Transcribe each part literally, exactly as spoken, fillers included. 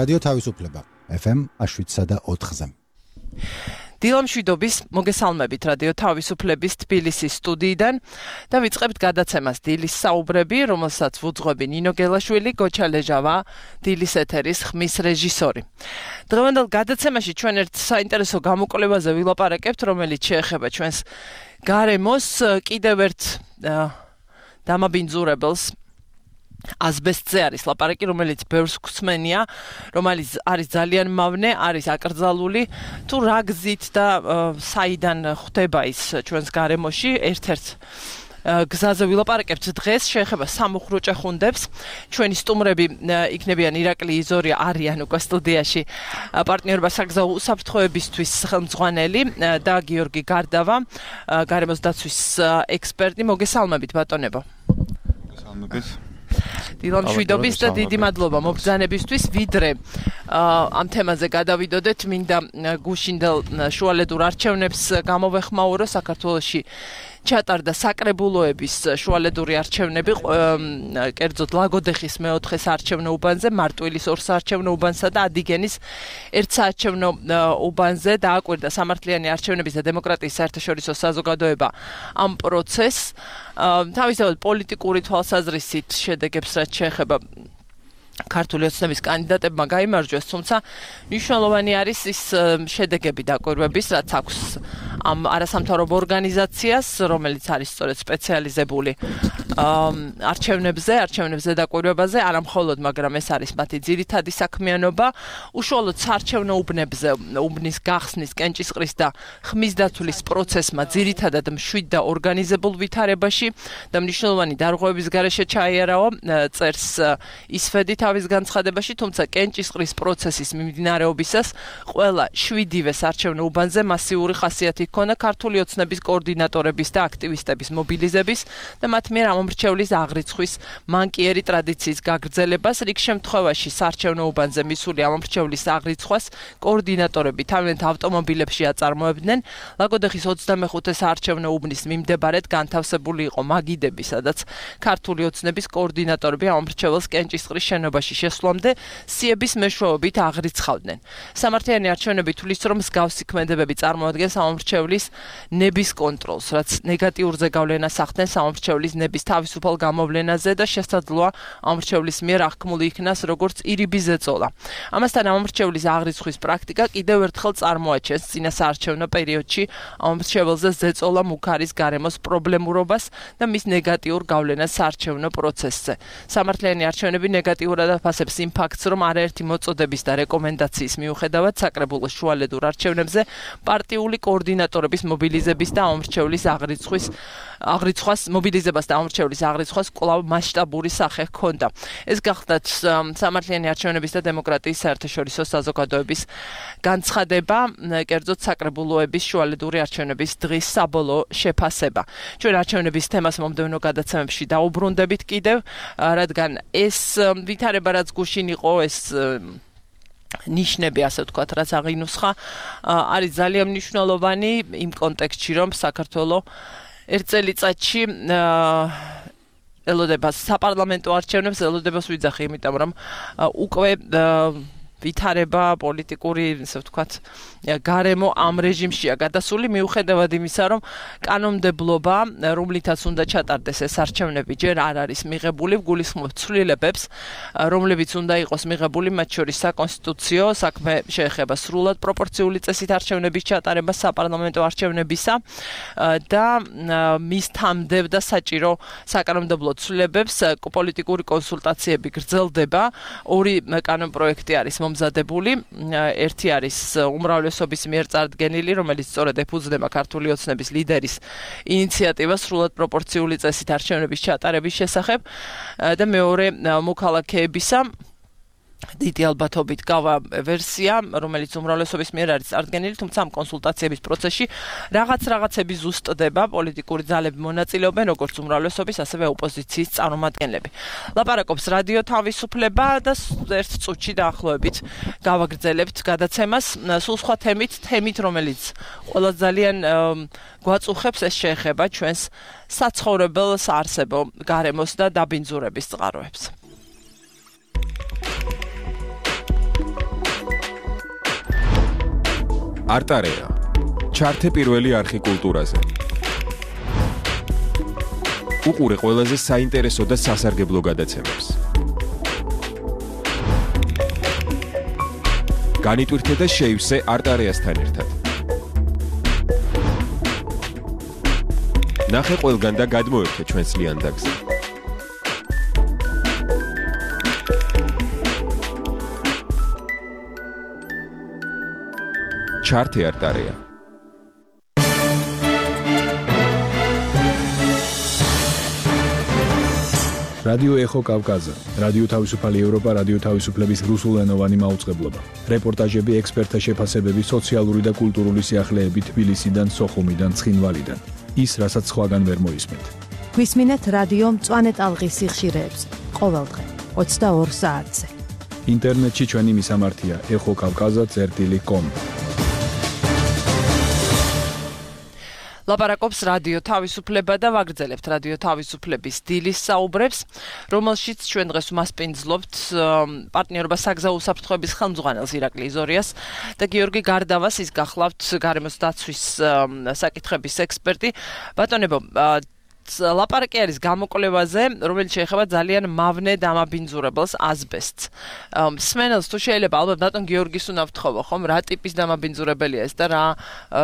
რადიო თავისუფლება ეფ ემ შვიდსა და ოთხზე. დილა მშვიდობის მოგესალმებით რადიო თავისუფლების თბილისის სტუდიიდან და ვიწყებთ გადაცემას დილის საუბრები, რომელსაც ვუძღვები ნინო გელაშვილი, გოჩა ლეჟავა, დილის ეთერის ხმის რეჟისორი. დღევანდელ გადაცემაში ჩვენ ერთ საინტერესო გამოკვლევაზე ვილაპარაკებთ, რომელიც შეეხება ჩვენს გარემოს, კიდევ ერთ დამაბინძურებელს. ასბესტზე არის ლაპარაკი, რომელიც ბევრს გვსმენია, რომელიც არის ძალიან მავნე, არის აკრძალული, თუ რა გზით და საიდან ხდება ის ჩვენს გარემოში, ერთ-ერთ გზაზე ვილაპარაკებთ დღეს, შეეხება სამუხრო ჭეხუნდებს. ჩვენი სტუმრები იქნებიან ირაკლი იზორია, არიან უკვე სტუდიაში პარტნიორობა საგზაო უსაფრთხოებისთვის ხელმძღვანელი და გიორგი გარდავა, გარემოს დაცვის ექსპერტი. მოგესალმებით ბატონებო. მოგესალმებით. დილა მშვიდობის და დიდი მადლობა მობრძანებისთვის, ვიდრე ამ თემაზე გადავიდოდეთ, მინდა გუშინდელ შუალედურ არჩევნებს გამოვეხმაურო. საქართველოში ჩატარდა საკრებულოების შუალედური არჩევნები, კერძოდ ლაგოდეხის მეოთხეს არჩევნო უბანზე, მარტვილის ორ საარჩევნო უბანსა და ადიგენის ერთ საარჩევნო უბანზე დააკვირდა სამართლიანი არჩევნების და დემოკრატიის საერთაშორისო საზოგადოება ამ პროცესს. თავისთავად პოლიტიკური თვალსაზრისით შედეგებს რაც შეეხება ქართული ოცნების კანდიდატებმა გაიმარჯვეს, თუმცა მნიშვნელოვანი არის ის შედეგები დაკვირვების, რაც აქვს ამ არასამთავრობო ორგანიზაციას, რომელიც არის სწორედ სპეციალიზებული არჩევნებზე, არჩევნებზე დაკვირვებაზე, არა მხოლოდ, მაგრამ ეს არის მათი ძირითადი საქმიანობა, უშუალოდ საარჩევნო უბნებზე, უბნის გახსნის, კენჭისყრის და ხმის დათვლის პროცესმა ძირითადად მშვიდ და ორგანიზებულ ვითარებაში და მნიშვნელოვანი დარღვევების გარეშე ჩაიარაო, წერს ისფედი თავის განცხადებაში, თუმცა კენჭისყრის პროცესის მიმდინარეობისას ყველა შვიდივე საარჩევნო უბანზე მასიური ხასიათი ჰქონდა ქართული ოცნების კოორდინატორების და აქტივისტების მობილიზების და მათ მიერ ამომრჩევლის აღრიცხვის მანკიერი ტრადიციის გაგრძელებას. რიგ შემთხვევაში საარჩევნო უბანზე მისული ამომრჩევლის აღრიცხვას კოორდინატორები თავიანთ ავტომობილებში აწარმოებდნენ. ლაგოდეხის ოცდამეხუთე საარჩევნო უბნის მიმდებარედ განთავსებული იყო მაგიდები, სადაც ქართული ოცნების კოორდინატორები ამომრჩეველს კენჭისყრის შენობაში შესვლამდე სიების მეშვეობით აღრიცხავდნენ. სამართლიანი არჩევნები თვლის, რომ მსგავსი ქმედებები წარმოადგენს ამომრჩევლის ნების კონტროლს, რაც ნეგატიურზე გავლენას ახდენს ამომრჩევლის ნების თავისუფალ გამოვლენაზე და შესაძლოა ამომრჩევლის მიერ აღქმული იქნას როგორც ირიბი ზეწოლა. ამასთან ამომრჩევლის აღრიცხვის პრაქტიკა კიდევ ერთხელ წარმოაჩენს წინა საარჩევნო პერიოდში ამომრჩეველზე ზეწოლა მუქარის გარემოს პრობლემურობას და მის ნეგატიურ გავლენას საარჩევნო პროცესზე. სამართლიანი არჩევნები ნეგატიურად აფასებს იმ ფაქტს, რომ არაერთი მოწოდების და რეკომენდაციის მიუხედავად საკრებულოს შუალედურ არჩევნებზე პარტიული კოორდინატორების მობილიზების და ამომრჩევლის აღრიცხვის აღრიცხვას მობილიზებას და ამომრჩევლის აღრიცხვას კვლავ მასშტაბური სახე ჰქონდა. ეს გახლდათ სამართლიანი არჩევნების და დემოკრატიის საერთაშორისო საზოგადოების განცხადება, კერძოდ საკრებულოების შუალედური არჩევნების დღის საბოლოო შეფასება. ჩვენ არჩევნების თემას მომდევნო გადაცემებში დაუბრუნდებით კიდევ, რადგან ეს ვითარება რაც გუშინ იყო, ეს ნიშნები, ასე ვთქვათ, რაც აღინუსხა, არის ძალიან მნიშვნელოვანი იმ კონტექსტში, რომ საქართველოს ერთ წელიწადში ელოდება საპარლამენტო არჩევნებს, ელოდებას ვიძახი, იმიტომ რომ უკვე ვითარება პოლიტიკური, ასე ვთქვათ, გარემო ამ რეჟიმშია გადასული, მიუხედავად იმისა, რომ კანონმდებლობა, რომლითაც უნდა ჩატარდეს ეს არჩევნები, ჯერ არ არის მიღებული, გულისხმობს ცვლილებებს, რომლებიც უნდა იყოს მიღებული, მათ შორის საკონსტიტუციო საქმე შეეხება სრულად პროპორციული წესით არჩევნების ჩატარებას საპარლამენტო არჩევნებისა და მის თამდევ და საჭირო საკანონმდებლო ცვლილებებს პოლიტიკური კონსულტაციები გრძელდება. ორი კანონპროექტი არის მომზადებული, ერთი არის უმრავლესობის მიერ წარდგენილი, რომელიც სწორედ ეფუძნება ქართული ოცნების ლიდერის ინიციატივას სრულად პროპორციული წესით არჩევნების ჩატარების შესახებ და მეორე მოქალაქეებისა დიდი ალბათობით გავა ვერსია, რომელიც უმრავლესობის მიერ არის წარდგენილი, თუმცა ამ კონსულტაციების პროცესში რაღაც რაღაცები ზუსტდება, პოლიტიკური ძალები მონაწილეობენ, როგორც უმრავლესობის, ასევე ოპოზიციის წარმომადგენლები. ლაპარაკობს რადიო თავისუფლება და ერთ წუთში დაახლოებით გავაგრძელებთ გადაცემას სულ სხვა თემით, თემით, რომელიც ყველა ძალიან გვაწუხებს, ეს შეეხება ჩვენს საცხოვრებელ საარსებო გარემოს და დაბინძურების წყაროებს. არტარეა. ჩართე პირველი არხი კულტურაზე. უყურე ყველაზე საინტერესო და სასარგებლო გადაცემებს. განიტვირთე და შეივსე არტარეასთან ერთად. ნახე ყველგან და გადმოერთე ჩვენს ლიანდაგზე. ჩართე არტარეა. რადიო ეხო კავკაზა, რადიო თავისუფალი ევროპა, რადიო თავისუფლების რუსულენოვანი მაუწყებლობა. რეპორტაჟები, ექსპერტთა შეფასებები, სოციალური და კულტურული სიახლეები თბილისიდან, სოხუმიდან, ცხინვალიდან. ის, რასაც სხვაგან ვერ მოისმენთ. გვისმინეთ რადიო მწვანე ტალღის სიხშირეებს, ყოველდღე ოცდაორ საათზე. ინტერნეტში ჩვენი მისამართია ეხო კავკაზა წერტილი კომ. ლაპარაკობს რადიო თავისუფლება და ვაგრძელებთ რადიო თავისუფლების დილის საუბრებს, რომელშიც ჩვენ დღეს უმასპინძლობთ პარტნიორობა საგზაო უსაფრთხოების ხელმძღვანელს ირაკლი იზორიას და გიორგი გარდავას, ის გახლავთ გარემოს დაცვის საკითხების ექსპერტი. ბატონებო, ლაპარაკი არის გამოკვლევაზე, რომელიც შეეხება ძალიან მავნე დამაბინძურებელს, აზბესტს. მსმენელს თუ შეიძლება ალბათ ბატონ გიორგის უნდა ვთხოვო, ხომ, რა ტიპის დამაბინძურებელია ეს და რა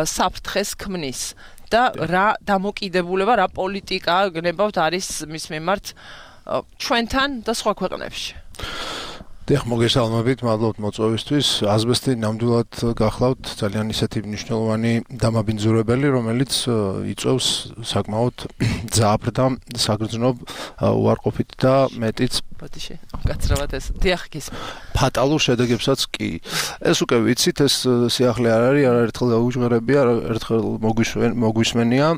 საფრთხეს ქმნის. და რა დამოკიდებულება, რა პოლიტიკა გნებავთ არის მის მიმართ ჩვენთან და სხვა ქვეყნებში. დიახ, მოგესალმებით, მადლობთ მოწვევისთვის. აზბესტი ნამდვილად გახლავთ ძალიან ისეთი მნიშვნელოვანი დამაბინძურებელი, რომელიც იწვევს საკმაოდ ძაბრ და საგრძნობ უარყოფით და მეტიც ბოდიში, გაცრავად ეს. დიახ, გისმენთ. ფატალურ შედეგებსაც კი. ეს უკვე ვიცით, ეს სიახლე არ არის, არაერთხელ გაუჟღერები, არაერთხელ მოგვისმენია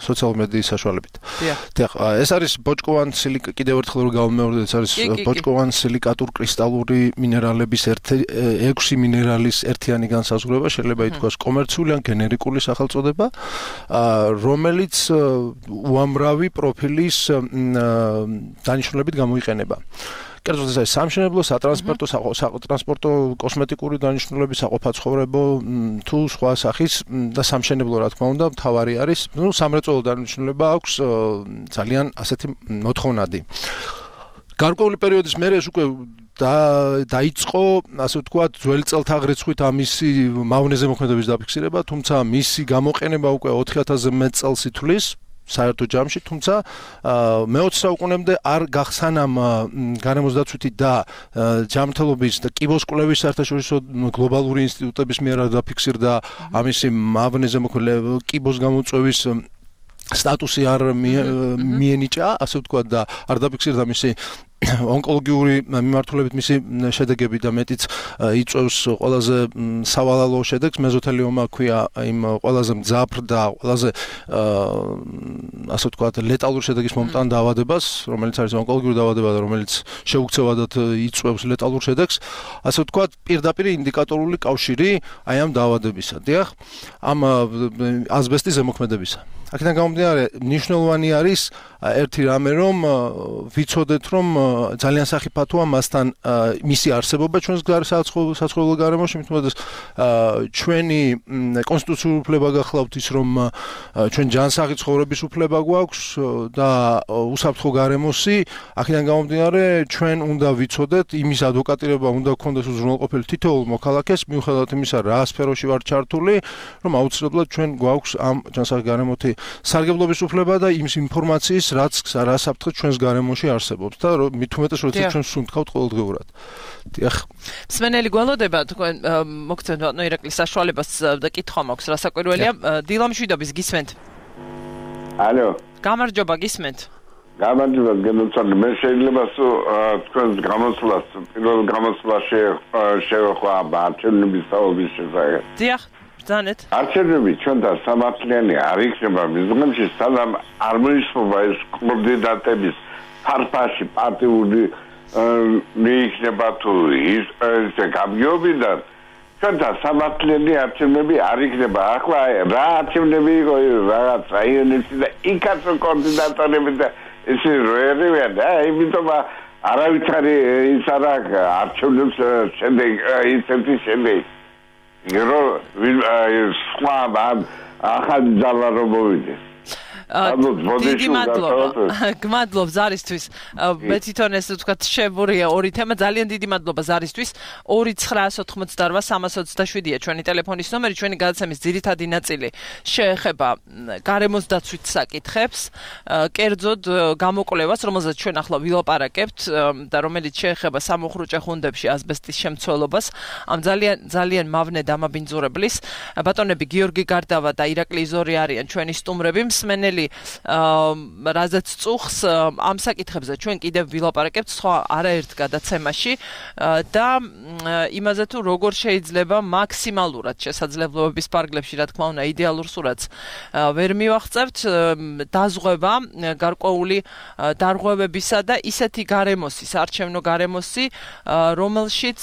სოციალურ მედიის საშუალებით. დიახ. ეს არის ბოჭკოვან სილიკატ, კიდევ ერთხელ რომ გავუმეორდეთ, ეს არის ბოჭკოვან სილიკატურ კრისტალური მინერალების ექვსი მინერალის ერთიანი განსაზღვრება, შეიძლება ითქვას კომერციული ან გენერიკული სახელწოდება, რომელიც უამრავი პროფილის დანიშნულებით გამოიყენება. კერძოდ ეს არის სამშენებლო, სატრანსპორტო, სატრანსპორტო, კოსმეტიკური დანიშნულები, საყოფაცხოვრებო თუ სხვა სახის და სამშენებლო რა თქმა უნდა, მთავარი არის, ნუ სამრეწველო დანიშნულება აქვს ძალიან ასეთი მოთხოვნადი. გარკვეული პერიოდის მერე ეს უკვე დაიწყო, ასე ვთქვათ, ძველი წელთაღრიცხვით ამისი მავნეზე მოქმედების დაფიქსირება, თუმცა მისი გამოყენება უკვე ოთხი ათასზე მეტ წელს ითვლის საერთო ჯამში, თუმცა მეოცე საუკუნემდე არ გახსანამ გარემოს დაცვითი და ჯანმრთელობის და კიბოს კვლევის საერთაშორისო გლობალური ინსტიტუტების მიერ დაფიქსირდა ამისი მავნეზე მოქმედება, კიბოს გამოწვევის სტატუსი არ მიენიჭა, ასე ვთქვათ, და არ დაფიქსირდა მისი ონკოლოგიური მიმართულებით მისი შედეგები და მეტიც იწვევს ყველაზე სავალალო შედეგს, მეზოთელიომა ქვია იმ ყველაზე მძაფრ და ყველაზე ასე ვთქვათ ლეტალურ შედეგის მომტან დაავადებას, რომელიც არის ონკოლოგიური დაავადება და რომელიც შეუქცევადად იწვევს ლეტალურ შედეგს, ასე ვთქვათ პირდაპირ ინდიკატორული კავშირი აი ამ დაავადებისა. დიახ, ამ აზბესტის ზემოქმედებისა. აქედან გამომდინარე, მნიშვნელოვანი არის ერთი რამე, რომ ვიცოდეთ, რომ ძალიან სახიფათოა მასთან მისი არსებობა ჩვენს საცხოვრებელ გარემოში, მithumetes ჩვენი კონსტიტუციური უფლება გახლავთ ის, რომ ჩვენ ჯანსაღი ცხოვრების უფლება გვაქვს და უსაფრთხო გარემოსი, აქედან გამომდინარე, ჩვენ უნდა ვიცოდეთ, იმის ადვოკატირება უნდა გქონდეს უზრუნველყოფილი თითოეულ მოქალაქეს, მიუხედავად იმისა, რა სფეროში ვარ ჩართული, რომ აუცილებლად ჩვენ გვაქვს ამ ჯანსაღი გარემოთი სარგებლობის უფლება და იმის ინფორმაციის, რაც რა საფრთხე ჩვენს გარემოში არსებობს და მithumetes როცა ჩვენ სუნთქავთ ყოველდღიურად. დიახ. მსმენელი გველოდება თქვენ მოგცემთ ბატონო ირაკლის საშუალებას და კითხვა მაქვს, რა საკვირველია. დილა მშვიდობის, გისმენთ? ალო. გამარჯობა, გისმენთ? გამარჯობა, გენოცვალე. მე შეიძლება თქვენს გამოსვლას, პირველ გამოსვლაში შევეხვა არჩევნების საუბრის შესახებ. დიახ. ბრძანეთ. არჩევნები ჩვენთან სამართლიანი არ იქნება მიზნებში, სანამ არ მოისმობა ეს კანდიდატების ფარფაში პარტიული მიიქნება თუ ის გამგეობიდან, ჩვენთან სამართლიანი არჩევნები არ იქნება. ახლა რა არჩევნები იყო რაღაც რაიონებში და იქაც კანდიდატები და ესე როერებია და იმიტომ არავითარი ის არა არჩევნებს შემდეგ ისეთი შემდეგ რომ სხვა ახალი ძალა რომ მოვიდეს. დიდი მადლობა. გმადლობ ზარისთვის. მე თვითონ ეს ვთქვათ შევურია ორი თემა. ძალიან დიდი მადლობა ზარისთვის. ორი ცხრაას ოთხმოცდაორ სამას ოცდაშვიდია ჩვენი ტელეფონის ნომერი, ჩვენი გადაცემის ძირითადი ნაწილი შეეხება გარემოს დაცვით საკითხებს, კერძოდ გამოკვლევას, რომელზეც ჩვენ ახლა ვილაპარაკებთ და რომელიც შეეხება სამუხრუჭე ხუნდებში ასბესტის შემცველობას. ამ ძალიან ძალიან მავნე დამაბინძურებლის ბატონები გიორგი გარდავა და ირაკლი იზორი არიან ჩვენი სტუმრები. მსმენელი რაზეც წუხს ამ საკითხებზე ჩვენ კიდევ ვილაპარაკებთ სხვა არაერთ გადაცემაში და იმაზე თუ როგორ შეიძლება მაქსიმალურად შესაძლებლობების პარგლებში, რა თქმა უნდა, იდეალურ სურათს ვერ მივაღწევთ, დაზღვევა გარკვეული დარღვევებისა და ისეთი გარემოსი, საარჩევნო გარემოსი, რომელშიც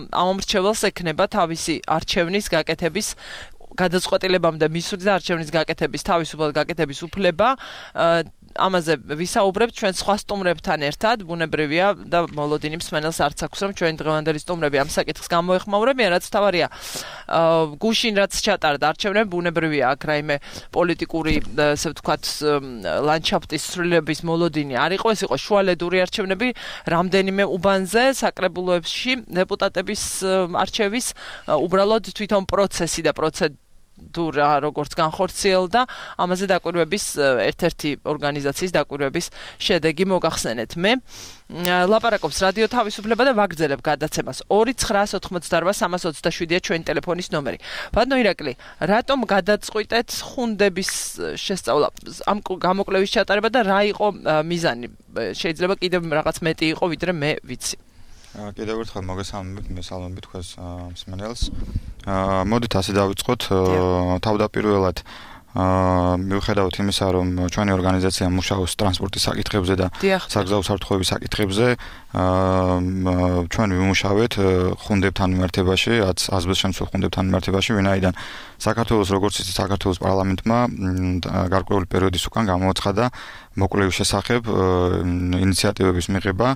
ამომრჩეველს ექნება თავისი არჩევნის გაკეთების გადაწყვეტილებამდე მისვლის და არჩევნის გაკეთების თავისუფლად გაკეთების უფლება. ამაზე ვისაუბრებთ ჩვენ სხვა სტუმრებთან ერთად. ბუნებრივია და მოლოდინი მსმენელს არც აქვს რომ ჩვენი დღევანდელი სტუმრები ამ საკითხს გამოეხმაურებიან, რაც თავარია. გუშინ რაც ჩატარდა არჩევნები, ბუნებრივია აქ რაიმე პოლიტიკური, ასე ვთქვათ, ლანდშაფტის ცვლილების მოლოდინი არ იყო, ეს იყო შუალედური არჩევნები, რამდენიმე უბანზე საკრებულოებში დეპუტატების არჩევის უბრალოდ თვითონ პროცესი და პროცედურა როგორც განხორციელდა, ამაზე დაკვირვების ერთ-ერთი ორგანიზაციის დაკვირვების შედეგი მოგახსენეთ. მე ლაპარაკობს რადიო თავისუფლება და ვაგრძელებ გადაცემას. ორი ცხრაას ოთხმოცდაორ სამას ოცდაშვიდია ჩვენი ტელეფონის ნომერი. ბატონო ირაკლი, რატომ გადაწყვიტეთ ხუნდების შესწავლა, ამ გამოკვლევის ჩატარება და რა იყო მიზანი? შეიძლება კიდევ რაღაც მეტი იყო, ვიდრე მე ვიცი. კიდევ ერთხელ მოგესალმებით, მესალმებით თქვენს მსმენელს. მოდით ასე დავიწყოთ. თავდაპირველად მიუხედავად იმისა, რომ ჩვენი ორგანიზაცია მუშაობს ტრანსპორტის საკითხებზე და საგზაო საფრთხეების საკითხებზე, ჩვენ ვიმუშავეთ ხუნდებთან მიმართებაში, ასბესტს შემცველ ხუნდებთან მიმართებაში, ვინაიდან საქართველოს როგორც ისე საქართველოს პარლამენტმა გარკვეული პერიოდის უკან გამოაცხადა მოკვლევის შესახებ ინიციატივების მიღება.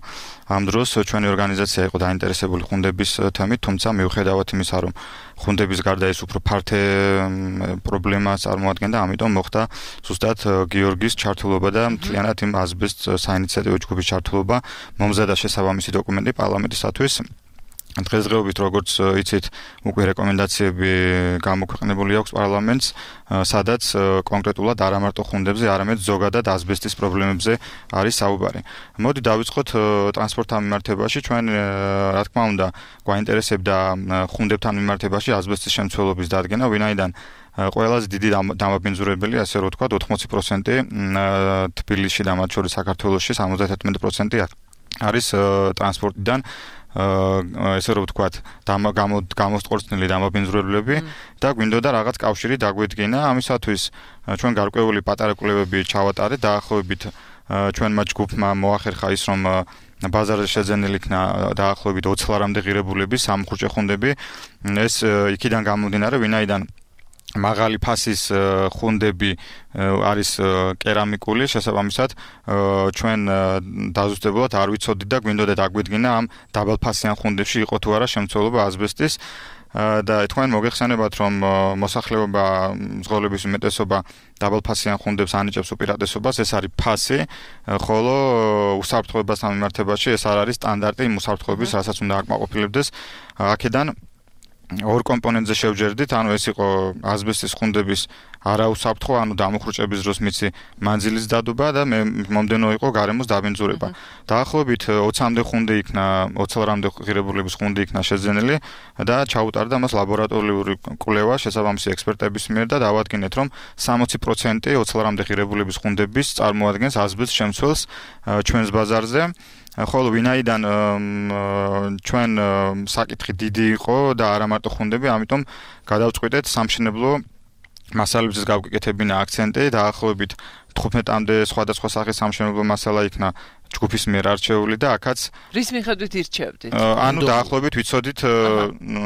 ამ დროს ჩვენი ორგანიზაცია იყო დაინტერესებული ხუნდების თემით, თუმცა მიუხედავად იმისა, რომ ხუნდების გარდა ეს უფრო ფართე პრობლემას წარმოადგენდა, ამიტომ მოხდა ზუსტად გიორგის ჩართულობა და მთლიანად იმ ასბესტს საინიციატივო ჯგუფის ჩართულობა, მომზადა შესაბამისი დოკუმენტი პარლამენტისათვის. დღესდღეობით როგორც იცით, უკვე რეკომენდაციები გამოქვეყნებული აქვს პარლამენტს, სადაც კონკრეტულად არა მარტო ხუნდებზე, არამედ ზოგადად ასბესტის პრობლემებზე არის საუბარი. მოდი დავიწყოთ ტრანსპორტთან მიმართებაში. ჩვენ რა თქმა უნდა გვაინტერესებდა ხუნდებთან მიმართებაში ასბესტის შემცველობის დადგენა, ვინაიდან ყველაზე დიდი დამაბინძურებელი, ასე რომ ვთქვათ, ოთხმოცი პროცენტი თბილისში და მათ შორის საქართველოში სამოცდათერთმეტი პროცენტი არის ტრანსპორტიდან ესე რომ ვთქვათ, გამოსტყორწნილი დამაბინძურებლები და გვინდოდა რაღაც კავშირი დაგვედგინა. ამისათვის ჩვენ გარკვეული პატარა კვლევები ჩავატარეთ, დაახლოებით ჩვენმა ჯგუფმა მოახერხა ის, რომ ბაზარზე შეძენილი იქნა დაახლოებით ოცი ლარამდე ღირებულების სამუხრუჭე ხუნდები. ეს იქიდან გამომდინარე, ვინაიდან მაღალი ფასის ხუნდები არის კერამიკული, შესაბამისად ჩვენ დაზუსტებულად არ ვიცოდით და გვინდოდა დაგვედგინა ამ დაბალფასიან ხუნდებში იყო თუ არა შემცველობა ასბესტის და თქვენ მოგეხსენებათ, რომ მოსახლეობა მძღოლების უმეტესობა დაბალფასიან ხუნდებს ანიჭებს უპირატესობას, ეს არის ფასი, ხოლო უსაფრთხოებასთან მიმართებაში ეს არ არის სტანდარტი იმ უსაფრთხოების, რასაც უნდა აკმაყოფილებდეს. აქედან ორ კომპონენტზე შევჯერდით, ანუ ეს იყო ასბესტის ხუნდების არაუსაფრთხო, ანუ დამუხრუჭების დროს მიცი მანძილის დადობა და მომდენო იყო გარემოს დაბინძურება. დაახლოებით ოცამდე ხუნდი იქნა, ოცი ლარამდე ღირებულების ხუნდი იქნა შეძენილი და ჩაუტარდა მას ლაბორატორიული კვლევა შესაბამისი ექსპერტების მიერ და დავადგინეთ, რომ სამოცი პროცენტი ოცი ლარამდე ღირებულების ხუნდების წარმოადგენს ასბესტს შემცველს ჩვენს ბაზარზე. ხოლო ვინაიდან ჩვენ საკითხი დიდი იყო და არა მარტო ხუნდები, ამიტომ გადავწყვიტეთ სამშენებლო მასალებზეც გავკეთებინა აქცენტი, დაახლოებით თხუთმეტამდე სხვადასხვა სახის სამშენებლო მასალა იქნა ჯგუფის მიერ არჩეული და აქაც რის მიხედვით ირჩევდით? ანუ დაახლოებით ვიცოდით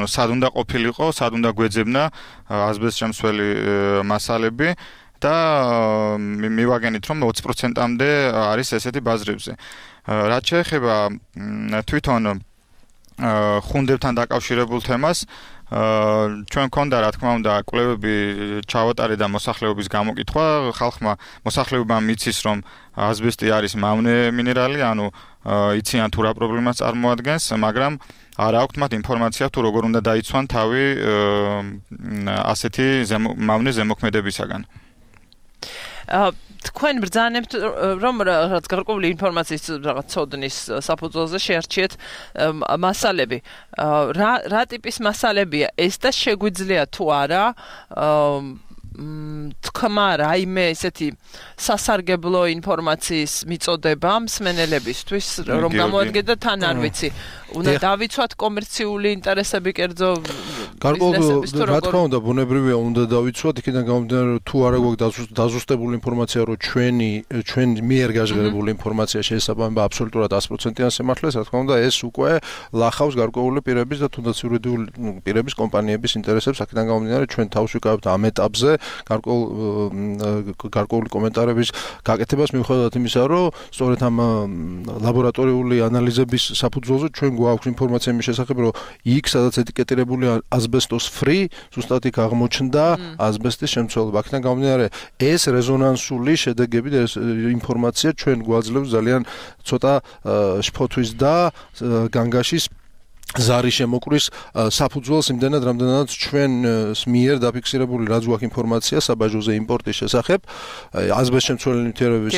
სად უნდა ყოფილიყო, სად უნდა გვეძებნა ასბესტს შემცველი მასალები და მივაგენით, რომ ოცი პროცენტამდე არის ესეთი ბაზრებზე. რაც შეეხება თვითონ ხუნდებთან დაკავშირებულ თემას, ჩვენ გქონდა რა თქმა უნდა კვლევები ჩავატარე და მოსახლეობის გამოკითხვა, ხალხმა მოსახლეობამ მიცის რომ ასბესტი არის მავნე მინერალი, ანუ იციან თუ რა პრობლემას წარმოადგენს, მაგრამ არ აქვთ მათ ინფორმაცია თუ როგორ უნდა დაიცვან თავი ასეთი მავნე ზემოქმედებისაგან. თქვენ ბრძანებთ რომ რაღაც გარკვეული ინფორმაციის რაღაც ცოდნის საფუძველზე შეარჩიეთ მასალები. რა რა ტიპის მასალებია ეს და შეგვიძლია თუ არა თქმა რაიმე ესეთი სასარგებლო ინფორმაციის მიწოდება მსმენელებისთვის რომ გამოადგეთ და თან არ ვიცი უნდა დავიცვათ კომერციული ინტერესები კერძო გარკვეულ რა თქმა უნდა ბუნებრივია უნდა დავიცვათ იქიდან გამომდინარე რომ თუ არა გვაქვს დაზუსტებული ინფორმაცია რომ ჩვენი ჩვენ მიერ გაჟღერებული ინფორმაცია შეესაბამება აბსოლუტურად ათი პროცენტიან სიმართლეს რა თქმა უნდა ეს უკვე ლახავს გარკვეული პირების და თუნდაც იურიდიული პირების კომპანიების ინტერესებს აქედან გამომდინარე ჩვენ თავს ვიკავებთ ამ ეტაპზე გარკვეულ გარკვეული კომენტარების გაკეთებას მიუხედავად იმისა რომ სწორედ ამ ლაბორატორიული ანალიზების საფუძველზე ჩვენ გვაქვს ინფორმაცია იმის შესახებ რომ იქ სადაც ეტიკეტირებული ასბესტოს free ზუსტად იქ აღმოჩნდა ასბესტის შემცველობა აქედან გამომდინარე ეს რეზონანსული შედეგები და ეს ინფორმაცია ჩვენ გვაძლევს ძალიან ცოტა შფოთვის და განგაშის ზარი შემოკვრის საფუძველს იმდენად რამდენადაც ჩვენს მიერ დაფიქსირებული რაც გვაქვს ინფორმაცია საბაჟოზე იმპორტის შესახებ ასბესტშემცველი ნივთიერების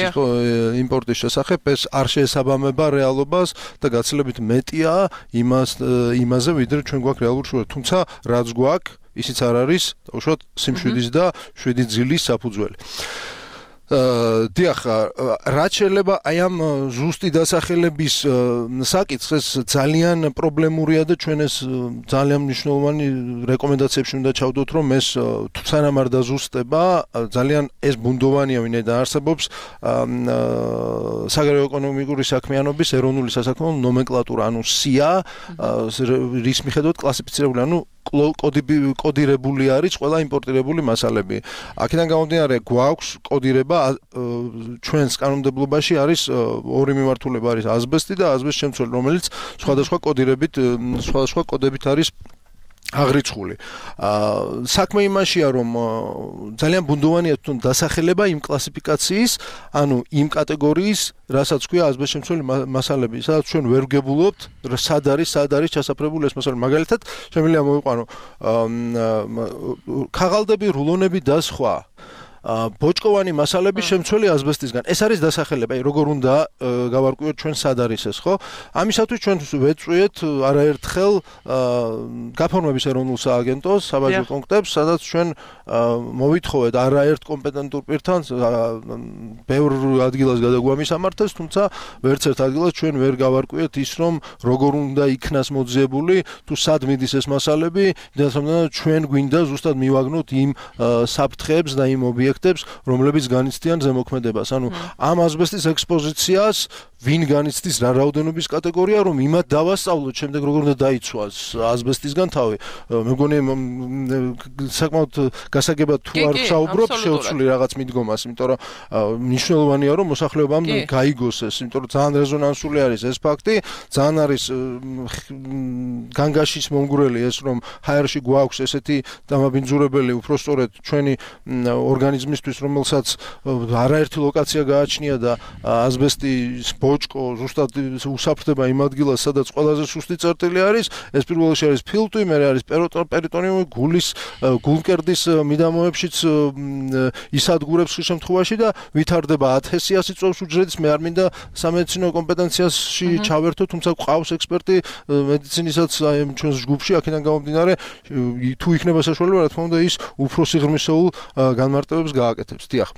იმპორტის შესახებ ეს არ შეესაბამება რეალობას და გაცილებით მეტია იმას იმაზე ვიდრე ჩვენ გვაქვს რეალური შრომა თუმცა რაც გვაქვს ისიც არ არის უშუალოდ სიმშვიდის და შვიდი ძილის საფუძველი დიახ, რაც შეიძლება აი ამ ზუსტი დასახელების საკითხს ძალიან პრობლემურია და ჩვენ ეს ძალიან მნიშვნელოვანი რეკომენდაციებში უნდა ჩავდოთ, რომ ეს სანამ არ დაზუსტება, ძალიან ეს ბუნდოვანია ვინაიდან არსებობს საგარეო ეკონომიკური საქმიანობის ეროვნული სასაქმეო ნომენკლატურა, ანუ სია, რის მიხედვით კლასიფიცირებული, ანუ კოდირებული არის ყველა იმპორტირებული მასალები. აქედან გამომდინარე გვაქვს კოდირება ჩვენს კანონმდებლობაში არის ორი მიმართულება არის ასბესტი და ასბესტის შემცველი, რომელიც სხვადასხვა კოდირებით სხვადასხვა კოდებით არის აღრიცხული. საქმე იმაშია, რომ ძალიან ბუნდოვანია თვითონ დასახელება იმ კლასიფიკაციის, ანუ იმ კატეგორიის, რასაც ქვია ასბესტის შემცველი მასალები, სადაც ჩვენ ვერ ვგებულობთ, სად არის, სად არის ჩასაფრებული ეს მასალები. მაგალითად, შემიძლია მოვიყვანო ქაღალდები, რულონები და სხვა ბოჭკოვანი მასალების შემცველი ასბესტისგან. ეს არის დასახელება, როგორ უნდა გავარკვიოთ ჩვენ სად არის ეს, ხო? ამისათვის ჩვენ ვეწვიეთ არაერთხელ გაფორმების ეროვნულ სააგენტოს საბაჟო პუნქტებს, სადაც ჩვენ მოვითხოვეთ არაერთ კომპეტენტურ პირთან ბევრ ადგილას გადაგვამისამართეს, თუმცა ვერც ერთ ადგილას ჩვენ ვერ გავარკვიეთ ის, რომ როგორ უნდა იქნას მოძიებული, თუ სად მიდის ეს მასალები, და ჩვენ გვინდა ზუსტად მივაგნოთ იმ საფრთხეებს და იმ ობიექტებს რომლებიც განიცდიან ზემოქმედებას. ანუ ამ ასბესტის ექსპოზიციას ვინ განიცდის რა რაოდენობის კატეგორია, რომ იმათ დავასწავლოთ შემდეგ როგორ უნდა დაიცვას ასბესტისგან თავი. მე მგონი საკმაოდ გასაგებად თუ არ ვსაუბრობ, შევცვლი რაღაც მიდგომას, იმიტომ რომ მნიშვნელოვანია რომ მოსახლეობამ გაიგოს ეს, იმიტომ რომ ძალიან რეზონანსული არის ეს ფაქტი, ძალიან არის განგაშის მომგვრელი ეს, რომ ჰაერში გვაქვს ესეთი დამაბინძურებელი, უпростоრედ ჩვენი ორგანიზმისთვის, რომელსაც არაერთი ლოკაცია გააჩნია და ასბესტის ბოჭკო ზუსტად უსაფრთხდება იმ ადგილას, სადაც ყველაზე სუსტი წერტილი არის, ეს პირველ რიგში არის ფილტვი, მეორე არის პერიტონიუმი, გულის, გულმკერდის მიდამოებშიც ისადგურებს ხშირ შემთხვევაში და ვითარდება ათესიასი წოვს უჯრედის, მე არ მინდა სამედიცინო კომპეტენციაში ჩავერთო, თუმცა ყავს ექსპერტი მედიცინიშაც აი ჩვენს ჯგუფში, აქედან გამომდინარე, თუ იქნება საშუალება, რა თქმა უნდა, ის უფრო სიღრმისეულ განმარტებებს გააკეთებს. დიახ.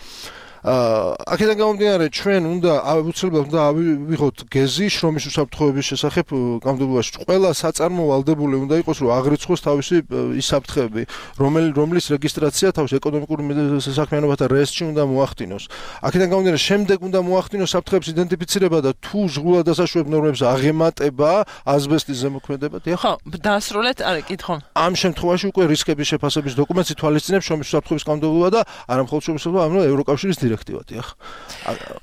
აქედან გამომდინარე ჩვენ უნდა აუცილებლად უნდა ავიღოთ გეზი შრომის უსაფრთხოების შესახებ კანონმდებლობაში. ყველა საწარმო ვალდებული უნდა იყოს, რომ აღრიცხოს თავისი ის საფრთხეები, რომლის რეგისტრაცია თავის ეკონომიკური საქმიანობათა რეესტრში უნდა მოახდინოს. აქედან გამომდინარე შემდეგ უნდა მოახდინოს საფრთხეების იდენტიფიცირება და თუ ზღუდად დასაშვებ ნორმებს აღემატება ასბესტის ზემოქმედება. ხო, დაასრულეთ, არა, კითხო. ამ შემთხვევაში უკვე რისკების შეფასების დოკუმენტი თვალისწინებს შრომის უსაფრთხოების კანონმდებლობა და არა მხოლოდ შრომის უსაფრთხოება, არამედ ევროკავშირის დირექტივა, დიახ.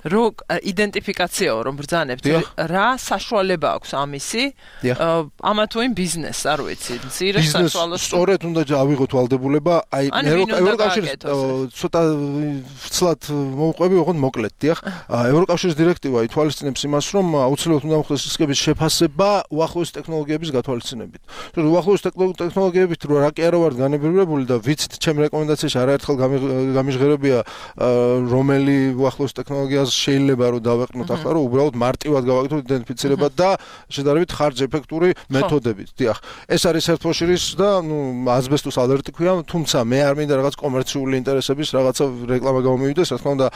რო იდენტიფიკაციაო რომ ბრძანებთ, რა საშუალება აქვს ამისი? ამა თუ იმ ბიზნესს, არ ვიცი, მცირე საშუალოს. სწორედ უნდა ავიღოთ ვალდებულება, აი ევროკავშირის ცოტა ვცლად მოვყვები, ოღონდ მოკლედ, დიახ. ევროკავშირის დირექტივა ითვალისწინებს იმას, რომ აუცილებლად უნდა მოხდეს რისკების შეფასება უახლოესი ტექნოლოგიების გათვალისწინებით. უახლოესი ტექნოლოგიებით რა კი არა ვართ განებირებული და ვიცით, ჩემი რეკომენდაციაში არაერთხელ გამიჟღერებია რომელი უახლოესი ტექნოლოგიას შეიძლება რომ დავეყნოთ ახლა, რომ უბრალოდ მარტივად გავაკეთოთ იდენტიფიცირება და შედარებით ხარჯ ეფექტური მეთოდებით. დიახ. ეს არის ერთფოშირის და ნუ აზბესტოს ალერტი ქვია, თუმცა მე არ მინდა რაღაც კომერციული ინტერესების რაღაცა რეკლამა გამომივიდეს, რა თქმა უნდა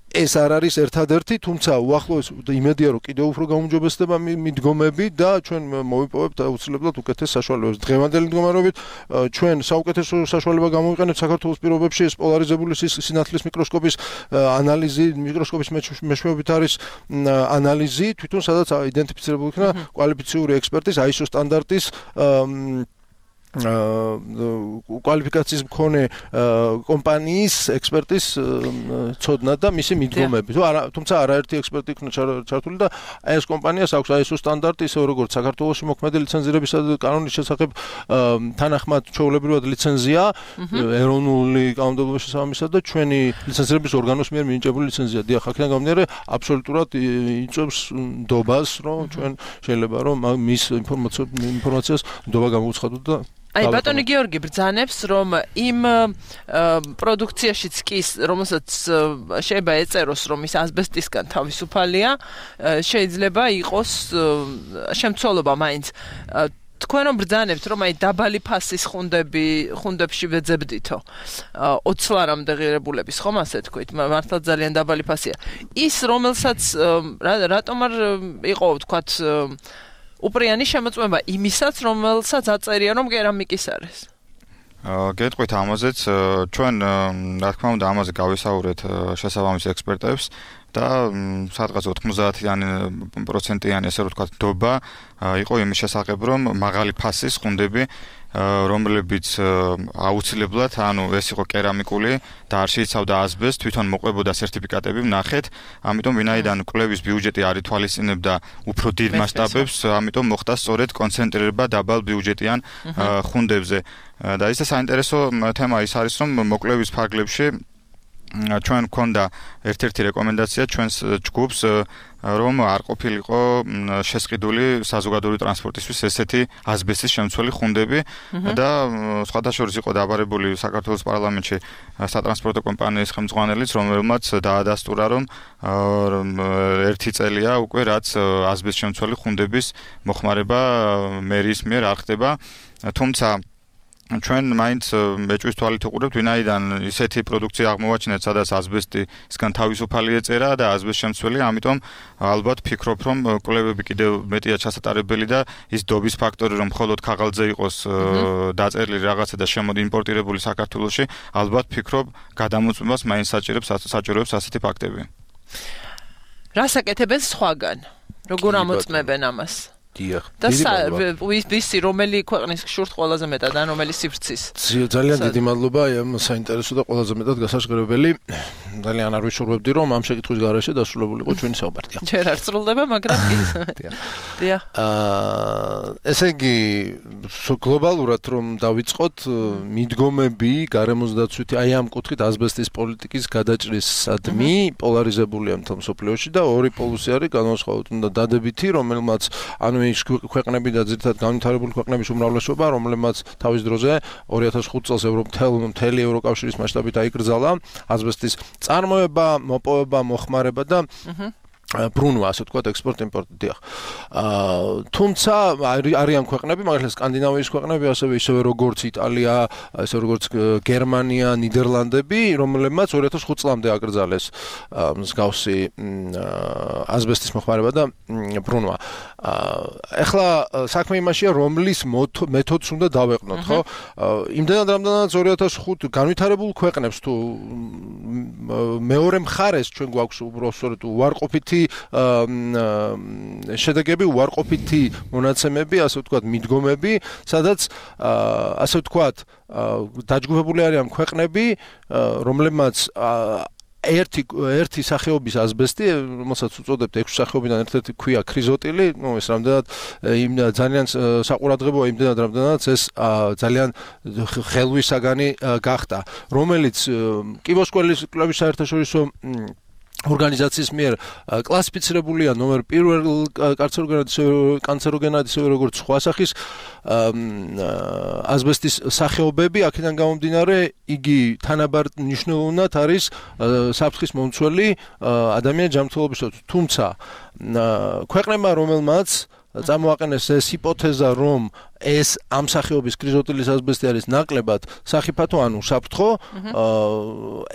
ეს არ არის ერთადერთი, თუმცა უახლოეს იმედია რომ კიდევ უფრო გაუმჯობესდება მიდგომები და ჩვენ მოვიპოვებთ აუცილებლად უკეთეს საშუალებებს. დღევანდელი მდგომარეობით ჩვენ საუკეთესო საშუალება გამოვიყენებთ საქართველოს პირობებში ეს პოლარიზებული სინათლის მიკროსკოპის ანალიზი, მიკროსკოპის მეშვეობით არის ანალიზი, თვითონ სადაც იდენტიფიცირებული იქნა კვალიფიციური ექსპერტის აი ეს ო სტანდარტის კვალიფიკაციის მქონე კომპანიის ექსპერტის ცოდნა და მისი მიდგომები. თუმცა არაერთი ექსპერტი იქნა ჩართული და ეს კომპანიას აქვს აი ეს ო სტანდარტი, ისე როგორც საქართველოში მოქმედი ლიცენზირების კანონის შესახებ თანახმად ჩვეულებრივად ლიცენზია, ეროვნული კანონმდებლობის შესაბამისად და ჩვენი ლიცენზირების ორგანოს მიერ მინიჭებული ლიცენზია. დიახ, აქედან გამომდინარე, აბსოლუტურად იწვევს ნდობას, რომ ჩვენ შეიძლება რომ მის ინფორმაციას ნდობა გამოვუცხადოთ და აი ბატონი გიორგი ბრძანებს რომ იმ პროდუქციაშიც კი რომელსაც შეიძლება ეწეროს რომ ის ასბესტისგან თავისუფალია შეიძლება იყოს შემცველობა მაინც თქვენ რომ ბრძანებთ რომ აი დაბალი ფასის ხუნდები ხუნდებში ვეძებდითო ოცი ლარამდე ღირებულების ხომ ასე თქვით მართლა ძალიან დაბალი ფასია ის რომელსაც რატომ არ იყო ვთქვათ უპრიანი შემოწმება იმისაც, რომელსაც აწერია, რომ კერამიკის არის. გეტყვით ამაზეც, ჩვენ რა თქმა უნდა ამაზე გავისაუბრეთ შესაბამის ექსპერტებს და სადღაც ოთხმოცდაათიანი პროცენტიანი ესე ვთქვათ დობა იყო იმის შესახებ, რომ მაღალი ფასის ხუნდები რომლებიც აუცილებლად, ანუ ეს იყო კერამიკული და არ შეიცავდა ასბესტს, თვითონ მოყვებოდა სერტიფიკატები ვნახეთ, ამიტომ ვინაიდან კვლევის ბიუჯეტი არ ითვალისწინებდა უფრო დიდ მასშტაბებს, ამიტომ მოხდა სწორედ კონცენტრირება დაბალ ბიუჯეტიან ხუნდებზე. და ისე საინტერესო თემა ის არის, რომ მოკვლევის ფარგლებში ჩვენ გვქონდა ერთ-ერთი რეკომენდაცია ჩვენს ჯგუფს რომ არ ყოფილიყო შესყიდული საზოგადოური ტრანსპორტისთვის ესეთი ასბესტის შემცველი ხუნდები და სხვადასხვა იყო დაბარებული საქართველოს პარლამენტში სატრანსპორტო კომპანიის ხელმძღვანელიც რომელმაც დაადასტურა რომ ერთი წელია უკვე რაც ასბესტის შემცველი ხუნდების მოხმარება მერიის მიერ არ ხდება თუმცა ჩვენ მაინც მეჭვის თვალით ვუყურებთ, ვინაიდან ისეთი პროდუქცია აღმოვაჩინეთ, სადაც ასბესტისგან თავისუფალი ეწერა და ასბესტის შემცველია, ამიტომ ალბათ ფიქრობ, რომ კვლევები კიდევ მეტია ჩასატარებელი და ის დობის ფაქტორი, რომ მხოლოდ ქაღალდზე იყოს დაწერილი რაღაცა და შემოდი იმპორტირებული საქართველოში, ალბათ ფიქრობ, გადამოწმებას მაინც საჭიროებს საჭიროებს ასეთი ფაქტები. რას აკეთებენ სხვაგან? როგორ ამოწმებენ ამას? დიახ. და ვისი რომელი ქვეყნის შურთ ყველაზე მეტად ან რომელი სივრცის? ძალიან დიდი მადლობა, ამ საინტერესო და ყველაზე მეტად გასაჟღერებელი. ძალიან არ ვიშურვებდი რომ ამ შეკითხვის გარეშე დასრულებულიყო ჩვენი საუბარი. ჯერ არ სრულდება, მაგრამ კი. დიახ. აა ესე იგი გლობალურად რომ დავიწყოთ მიდგომები გარემოსდაცვითი აი ამ კუთხით ასბესტის პოლიტიკის გადაჭრისადმი პოლარიზებულია მთელ მსოფლიოში და ორი პოლუსი არის განსხვავებით უნდა დადებითი რომელმაც ანუ ის ქვეყნები და ძირითადად განვითარებული ქვეყნების უმრავლესობა, რომლებმაც თავის დროზე ორი ათას ხუთი წელს მთელი ევროკავშირის მასშტაბით აიკრძალა ასბესტის წარმოება, მოპოვება, მოხმარება და ბრუნვა, ასე ვთქვათ, ექსპორტ-იმპორტი, დიახ. აა თუმცა არიან ქვეყნები, მაგალითად სკანდინავიის ქვეყნები, ასევე ისევე როგორც იტალია, ასევე როგორც გერმანია, ნიდერლანდები, რომლებმაც ორი ათას ხუთი წლამდე აკრძალეს მსგავსი ასბესტის მოხმარება და ბრუნვა. ახლა საქმე იმაშია, რომლის მეთოდს უნდა დავეყნოთ, ხო? იმდენად რამდენადაც ორი ათას ხუთი განვითარებულ ქვეყნებს თუ მეორე მხარეს ჩვენ გვაქვს უბრალოდ უარყოფითი შედეგები უარყოფითი მონაცემები, ასე ვთქვათ, მიდგომები, სადაც ასე ვთქვათ, დაჯგუფებული არიან ქვეყნები, რომლებმაც ერთი ერთი სახეობის ასბესტი, რომელსაც უწოდებთ ექვსი სახეობიდან ერთ-ერთი ქვია ქრიზოტილი, ну ეს რამდენად იმ ძალიან საყურადღებოა იმდენად რამდენადაც ეს ძალიან ხელვისაგანი გახდა, რომელიც კიბოსკველის კლუბის საერთაშორისო ორგანიზაციის მიერ კლასიფიცირებულია ნომერ პირველ კანცეროგენად ისე როგორც სხვა სახის ასბესტის სახეობები, აქედან გამომდინარე იგი თანაბარ მნიშვნელოვნად არის საფრთხის მომცველი ადამიანის ჯანმრთელობისთვის, თუმცა ქვეყნებმა რომელმაც წამოაყენეს ეს ჰიპოთეზა, რომ ეს ამ სახეობის ქრიზოტილის ასბესტი არის ნაკლებად სახიფათო, ანუ საფრთხო,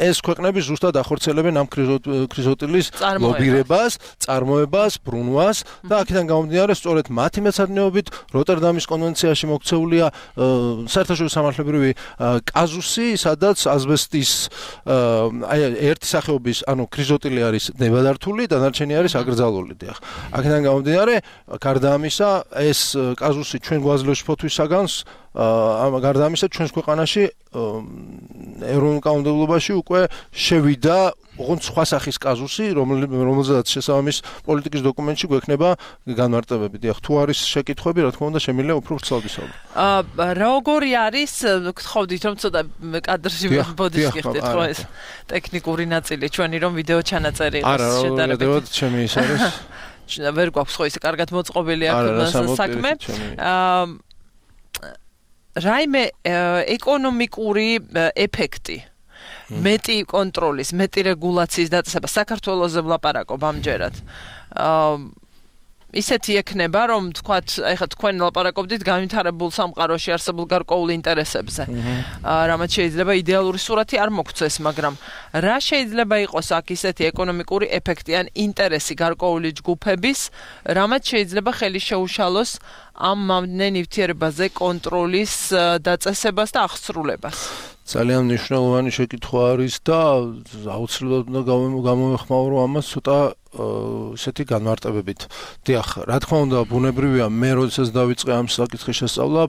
ეს ქვეყნები ზუსტად ახორციელებენ ამ ქრიზოტილის ლობირებას, წარმოებას, ბრუნვას და აქედან გამომდინარე, სწორედ მათი მეცადინეობით როტერდამის კონვენციაში მოქცეულია საერთაშორისო სამართლებრივი კაზუსი, სადაც ასბესტის ერთი სახეობის, ანუ ქრიზოტილი არის ნებადართული, დანარჩენი არის აკრძალული. აქედან გამომდინარე, გარდა ამისა, ეს კაზუსი ჩვენ გვაძლევს ფოთვის საგანს, ამ გარდა ამისა ჩვენს ქვეყანაში ეროვნულ კანონმდებლობაში უკვე შევიდა ოღონდ სხვა სახის კაზუსი, რომელზეც შესაბამის პოლიტიკის დოკუმენტში გვექნება განმარტებები. დიახ, თუ არის შეკითხვები, რა თქმა უნდა, შემიძლია უფრო ვრცლად ვისაუბროთ. აა როგორი არის, გთხოვდით რომ ცოტა კადრში ბოდიშ გიხდეთ ხო ეს ტექნიკური ნაწილი ჩვენი რომ ვიდეო ჩანაწერი იყოს შედარებით. არა, რა ჩემი ის არის. ვერ გვაქვს ხო ისე კარგად მოწყობილი აქ საქმე. აა რაიმე ეკონომიკური ეფექტი, მეტი კონტროლის, მეტი რეგულაციის დაწესება საქართველოზე ვლაპარაკობ ამჯერად. აა ისეთი ექნება, რომ თქვათ, ეხლა თქვენ ლაპარაკობდით განვითარებულ სამყაროში არსებულ გარკვეულ ინტერესებზე. რამაც შეიძლება იდეალური სურათი არ მოგცეს, მაგრამ რა შეიძლება იყოს აქ ისეთი ეკონომიკური ეფექტი ან ინტერესი გარკვეული ჯგუფების, რამაც შეიძლება ხელი შეუშალოს ამ მომდენ ნივთიერებაზე კონტროლის დაწესებას და აღსრულებას. ძალიან მნიშვნელოვანი შეკითხვა არის და აუცილებლად უნდა გამოვეხმაურო ამას ცოტა ესეთი განმარტებებით. დიახ, რა თქმა უნდა, ბუნებრივია, მე როდესაც დავიწყე ამ საკითხის შესწავლა,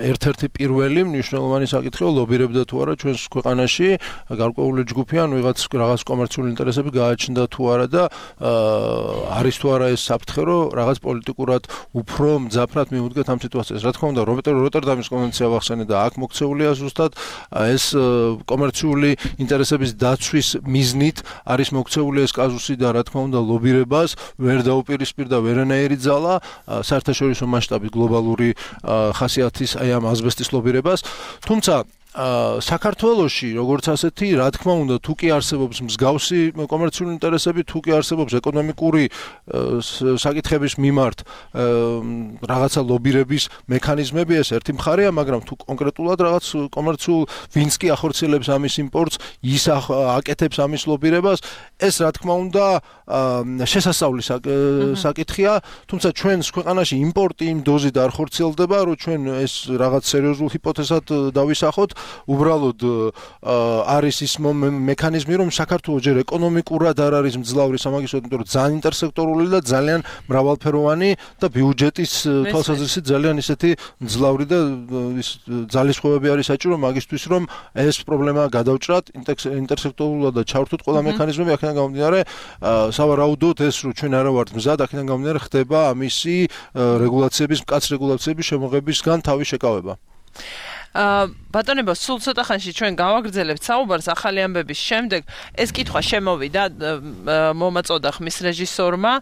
ერთ-ერთი პირველი მნიშვნელოვანი საკითხია ლობირებდა თუ არა ჩვენს ქვეყანაში გარკვეული ჯგუფი ან ვიღაც რაღაც კომერციული ინტერესები გააჩნდა თუ არა და არის თუ არა ეს საფრთხე, რომ რაღაც პოლიტიკურად უფრო მძაფრად მიუდგეთ ამ სიტუაციას. რა თქმა უნდა, როტერდამის კონვენცია ვახსენე და აქ მოქცეულია ზუსტად ეს კომერციული ინტერესების დაცვის მიზნით არის მოქცეული ეს კაზუსი და რა თქმა უნდა ლობირებას ვერ დაუპირისპირდა ვერანაირი ძალა საერთაშორისო მასშტაბით გლობალური ხასიათის აი ამ ასბესტის ლობირებას. თუმცა საქართველოში როგორც ასეთი, რა თქმა უნდა, თუ კი არსებობს მსგავსი კომერციული ინტერესები, თუ კი არსებობს ეკონომიკური საკითხების მიმართ რაღაცა ლობირების მექანიზმები, ეს ერთი მხარეა, მაგრამ თუ კონკრეტულად რაღაც კომერციულ ვინც კი ახორციელებს ამის იმპორტს, ის აკეთებს ამის ლობირებას, ეს რა თქმა უნდა შესასწავლის საკითხია, თუმცა ჩვენს ქვეყანაში იმპორტი იმ დოზით არ ხორციელდება, რომ ჩვენ ეს რაღაც სერიოზულ ჰიპოთეზად დავისახოთ. უბრალოდ არის ის მექანიზმი, რომ საქართველოს ჯერ ეკონომიკურად არ არის მძლავრი სამაგისტრო, იმიტომ რომ ძალიან ინტერსექტორული და ძალიან მრავალფეროვანი და ბიუჯეტის თვალსაზრისით ძალიან ისეთი მძლავრი და ძალისხმევები არის საჭირო მაგისთვის, რომ ეს პრობლემა გადავჭრათ, ინტერსექტორულად და ჩავრთოთ ყველა მექანიზმები, აქედან გამომდინარე, სავარაუდოდ ეს რომ ჩვენ არა ვართ მზად, აქედან გამომდინარე ხდება ამისი რეგულაციების, მკაც რეგულაციების შემოღებისგან თავის შეკავება. აა ბატონებო, სულ ცოტა ხანში ჩვენ გავაგრძელებთ საუბარს ახალი ამბების შემდეგ. ეს კითხვა შემოვიდა მომაწოდა ხმის რეჟისორმა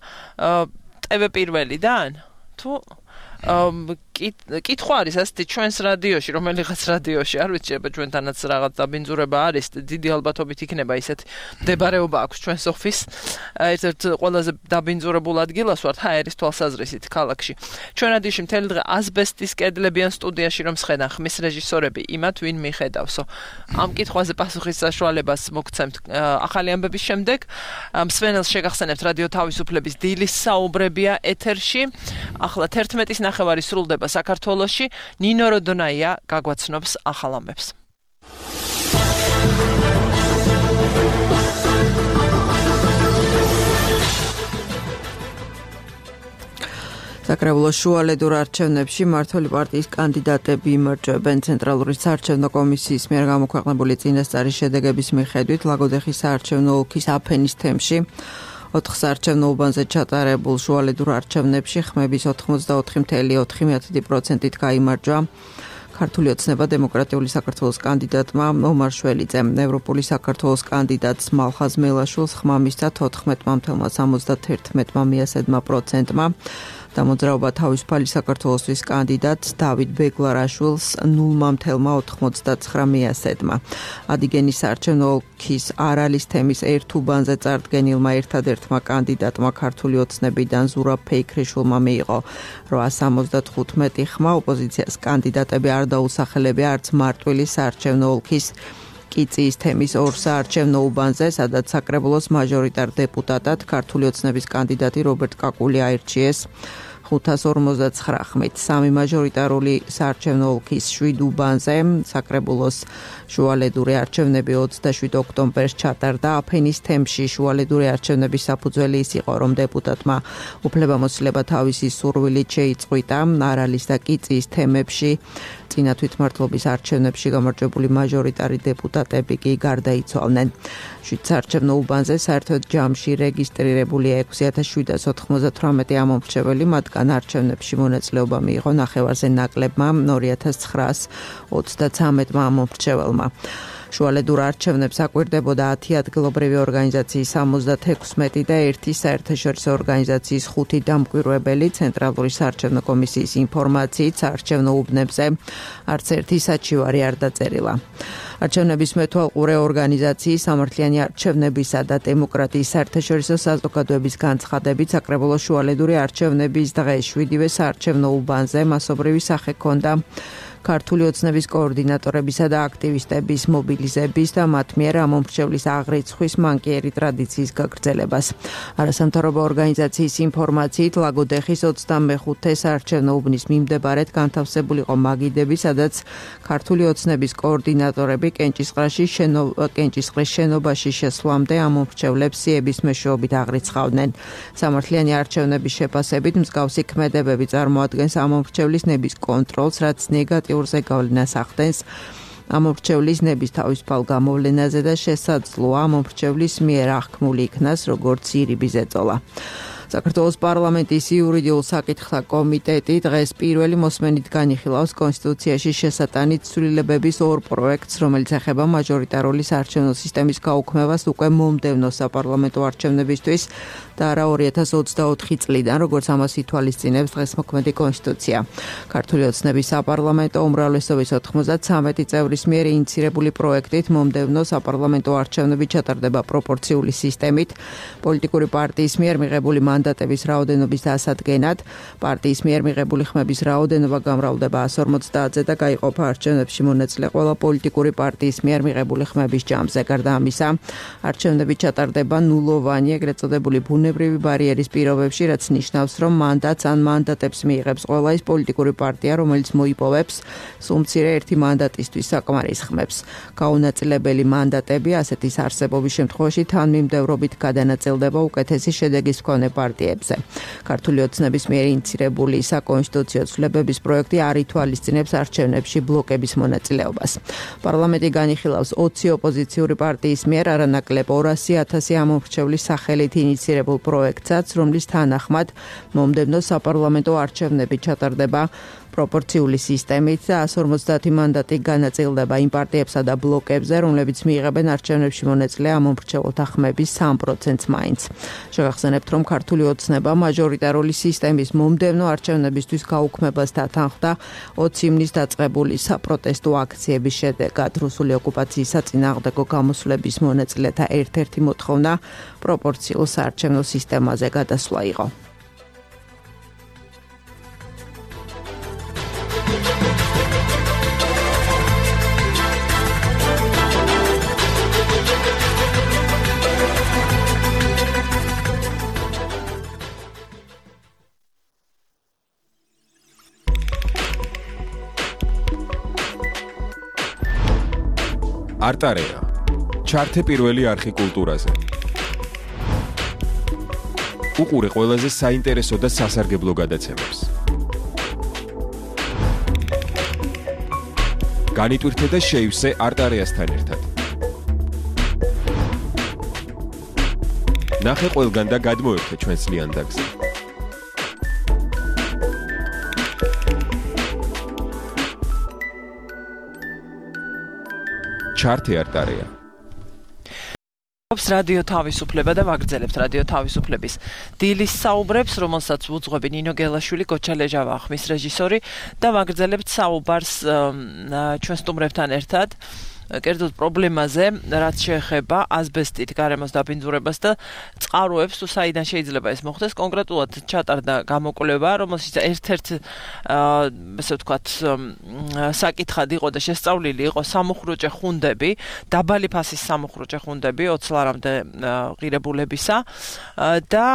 ტე ვე პირველიდან თუ კითხვა არის ასეთი ჩვენს რადიოში, რომელიღაც რადიოში, არ ვიცი, შეიძლება ჩვენთანაც რაღაც დაბინძურება არის, დიდი ალბათობით იქნება ისეთი მდებარეობა აქვს ჩვენს ოფის. ერთ-ერთ ყველაზე დაბინძურებულ ადგილას ვართ ჰაერის თვალსაზრისით ქალაქში. ჩვენ რადიოში მთელი დღე ასბესტის კედლებიან სტუდიაში რომ სხედან ხმის რეჟისორები, იმათ ვინ მიხედავსო. ამ კითხვაზე პასუხის საშუალებას მოგცემთ ახალი ამბების შემდეგ. მსმენელს შეგახსენებთ რადიო თავისუფლების დილის საუბრებია ეთერში. ახლა თერთმეტის ნახევარი სრულდება საქართველოში. ნინო როდონაია გაგვაცნობს ახალ ამბებს. საკრებულოს შუალედურ არჩევნებში მმართველი პარტიის კანდიდატები იმარჯვებენ. ცენტრალური საარჩევნო კომისიის მიერ გამოქვეყნებული წინასწარი შედეგების მიხედვით ლაგოდეხის საარჩევნო ოლქის აფენის თემში ოთხ საარჩევნო უბანზე ჩატარებულ შუალედურ არჩევნებში ხმების ოთხმოცდაოთხი წუთი ოთხი პროცენტით გაიმარჯვა ქართული ოცნება დემოკრატიული საქართველოს კანდიდატმა ომარ შველიძემ. ევროპული საქართველოს კანდიდატს მალხაზ მელაშვილს ხმა მისცა თოთხმეტ წუთი ოცდაერთი პროცენტმა. დამოძრაობა თავისუფალი საქართველოსთვის კანდიდატს დავით ბეგლარაშვილს ნულ ოთხმოცდათხრამეტ პროცენტმა. ადიგენის საარჩევნო ოლქის არალის თემის ერთ უბანზე წარდგენილმა ერთადერთმა კანდიდატმა ქართული ოცნებიდან ზურაბ ფეიქრიშვილმა მიიღო რვაას ოცდათხუთმეტი ხმა. ოპოზიციას კანდიდატები არ დაუსახელებია არც მარტვილი საარჩევნო ოლქის კიწიის თემის ორ საარჩევნო უბანზე, სადაც საკრებულოს მაჟორიტარ დეპუტატად ქართული ოცნების კანდიდატი რობერტ კაკული აირჩიეს ხუთას ორმოცდაცხრა ხმით. სამი მაჟორიტარული საარჩევნო ოლქის შვიდ უბანზე საკრებულოს შუალედური არჩევნები ოცდაშვიდ ოქტომბერს ჩატარდა. აფენის თემში შუალედური არჩევნების საფუძველი ის იყო, რომ დეპუტატმა უფლებამოსილება თავისი სურვილით შეიწყვიტა. არალის და კიწიის თემებში წინა თვითმმართველობის არჩევნებში გამარჯვებული მაჟორიტარი დეპუტატები კი გარდაიცვალნენ. შვიდ საარჩევნო უბანზე საერთოდ ჯამში რეგისტრირებულია ექვსი ათას შვიდას ოცდათვრამეტი ამომრჩეველი, მათგან არჩევნებში მონაწილეობა მიიღო ნახევარზე ნაკლებმა ორი ათას ცხრაას ოცდათვრამეტმა ამომრჩეველმა. შუალედურ არჩევნებს აკვირდებოდა ათი ადგილობრივი ორგანიზაციის სამოცდათექვსმეტი და ერთი საერთაშორისო ორგანიზაციის ხუთი დამკვირვებელი. ცენტრალური საარჩევნო კომისიის ინფორმაციით საარჩევნო უბნებზე არც ერთი საჩივარი არ დაწერილა. არჩევნების მეთვალყურე ორგანიზაციის სამართლიანი არჩევნებისა და დემოკრატიის საერთაშორისო საზოგადოების განცხადებით საკრებულოს შუალედური არჩევნების დღეს შვიდივე საარჩევნო უბანზე მასობრივი სახე ჰქონდა ქართული ოცნების კოორდინატორებისა და აქტივისტების მობილიზების და მათ მიერ ამომრჩევლის აღრიცხვის მანკიერი ტრადიციის გაგრძელებას. არასამთავრობო ორგანიზაციის ინფორმაციით ლაგოდეხის ოცდამეხუთე საარჩევნო უბნის მიმდებარედ განთავსებული იყო მაგიდები, სადაც ქართული ოცნების კოორდინატორები კენჭისყრაში კენჭისყრის შენობაში შესვლამდე ამომრჩევლებს სიების მეშვეობით აღრიცხავდნენ. სამართლიანი არჩევნების შეფასებით მსგავსი ქმედებები წარმოადგენს ამომრჩევლის ნების კონტროლს, რაც ნეგატიურ ურზე გავლენას ახდენს ამომრჩევლის ნების თავისუფალ გამოვლენაზე და შესაძლოა ამომრჩევლის მიერ აღქმული იქნას როგორც ირიბი ზეწოლა. საქართველოს პარლამენტის იურიდიულ საკითხთა კომიტეტი დღეს პირველი მოსმენით განიხილავს კონსტიტუციაში შესატანით ცვლილებების ორ პროექტს, რომელიც ეხება მაჟორიტარული საარჩევნო სისტემის გაუქმებას უკვე მომდევნო საპარლამენტო არჩევნებისთვის და არა ორი ათას ოცდაოთხი წლიდან, როგორც ამას ითვალისწინებს დღეს მოქმედი კონსტიტუცია. ქართული ოცნების საპარლამენტო უმრავლესობის ოთხმოცდათვრამეტი წევრის მიერ ინიცირებული პროექტით მომდევნო საპარლამენტო არჩევნები ჩატარდება პროპორციული სისტემით, პოლიტიკური პარტიის მიერ მიღებული მანდატების რაოდენობის დასადგენად, პარტიის მიერ მიღებული ხმების რაოდენობა გამრავლდება ას ორმოცდაათზე და გაიყოფა არჩევნებში მონაწილე ყველა პოლიტიკური პარტიის მიერ მიღებული ხმების ჯამზე. გარდა ამისა, არჩევნები ჩატარდება ნულოვანი, ეგრეთ წოდებული ბუნებრივი ბარიერის პირობებში, რაც ნიშნავს, რომ მანდატს ან მანდატებს მიიღებს ყველა ის პოლიტიკური პარტია, რომელიც მოიპოვებს სულ მცირე ერთი მანდატისთვის საკმარის ხმებს. გაუნაწილებელი მანდატები ასეთის არსებობის შემთხვევაში თანმიმდევრობით გადანაწილდება უკეთესი შედეგის მქონე პარტიებზე. ქართული ოცნების მიერ ინიცირებული საკონსტიტუციო ცვლილებების პროექტი არ ითვალისწინებს არჩევნებში ბლოკების მონაწილეობას. პარლამენტი განიხილავს ოცი ოპოზიციური პარტიის მიერ არანაკლებ ორასი ათასი ამომრჩევლის სახელით ინიცირებულ პროექტსაც, რომლის თანახმად მომდევნო საპარლამენტო არჩევნები ჩატარდება პროპორციული სისტემით და ას ორმოცდაათი მანდატი განაწილდება იმ პარტიებსა და ბლოკებზე, რომლებიც მიიღებენ არჩევნებში მონაწილე ამომრჩეველთა ხმების სამ პროცენტს მაინც. შევახსენებთ, რომ ქართული ოცნება მაჟორიტარული სისტემის მომდევნო არჩევნებისთვის გაუქმებას დათანხმდა ოცი ივნის დაწყებული საპროტესტო აქციების შედეგად. რუსული ოკუპაციის საწინააღმდეგო გამოსვლების მონაწილეთა ერთ-ერთი მოთხოვნა პროპორციულ საარჩევნო სისტემაზე გადასვლა იყო. არტარეა. ჩართე პირველი არხი კულტურაზე. უყურე ყველაზე საინტერესო და სასარგებლო გადაცემებს. განიტვირთე და შეივსე არტარიასთან ერთად. ნახე ყველგან და გადმოერთე ჩვენს ლიანდაგზე. ჩართე არტარია. რადიო თავისუფლება და ვაგრძელებთ რადიო თავისუფლების დილის საუბრებს, რომელსაც უძღვები ნინო გელაშვილი, გოჩა ლეჟავა, ხმის რეჟისორი და ვაგრძელებთ საუბარს ჩვენ სტუმრებთან ერთად. კერძოდ პრობლემაზე, რაც შეეხება ასბესტით გარემოს დაბინძურებას და წყაროებს, თუ საიდან შეიძლება ეს მოხდეს. კონკრეტულად ჩატარდა გამოკვლევა, რომელშიც ერთ-ერთ ესე ვთქვათ საკითხად იყო და შესწავლილი იყო სამუხრუჭე ხუნდები, დაბალი ფასის სამუხრუჭე ხუნდები ოცლარამდე ღირებულებისა და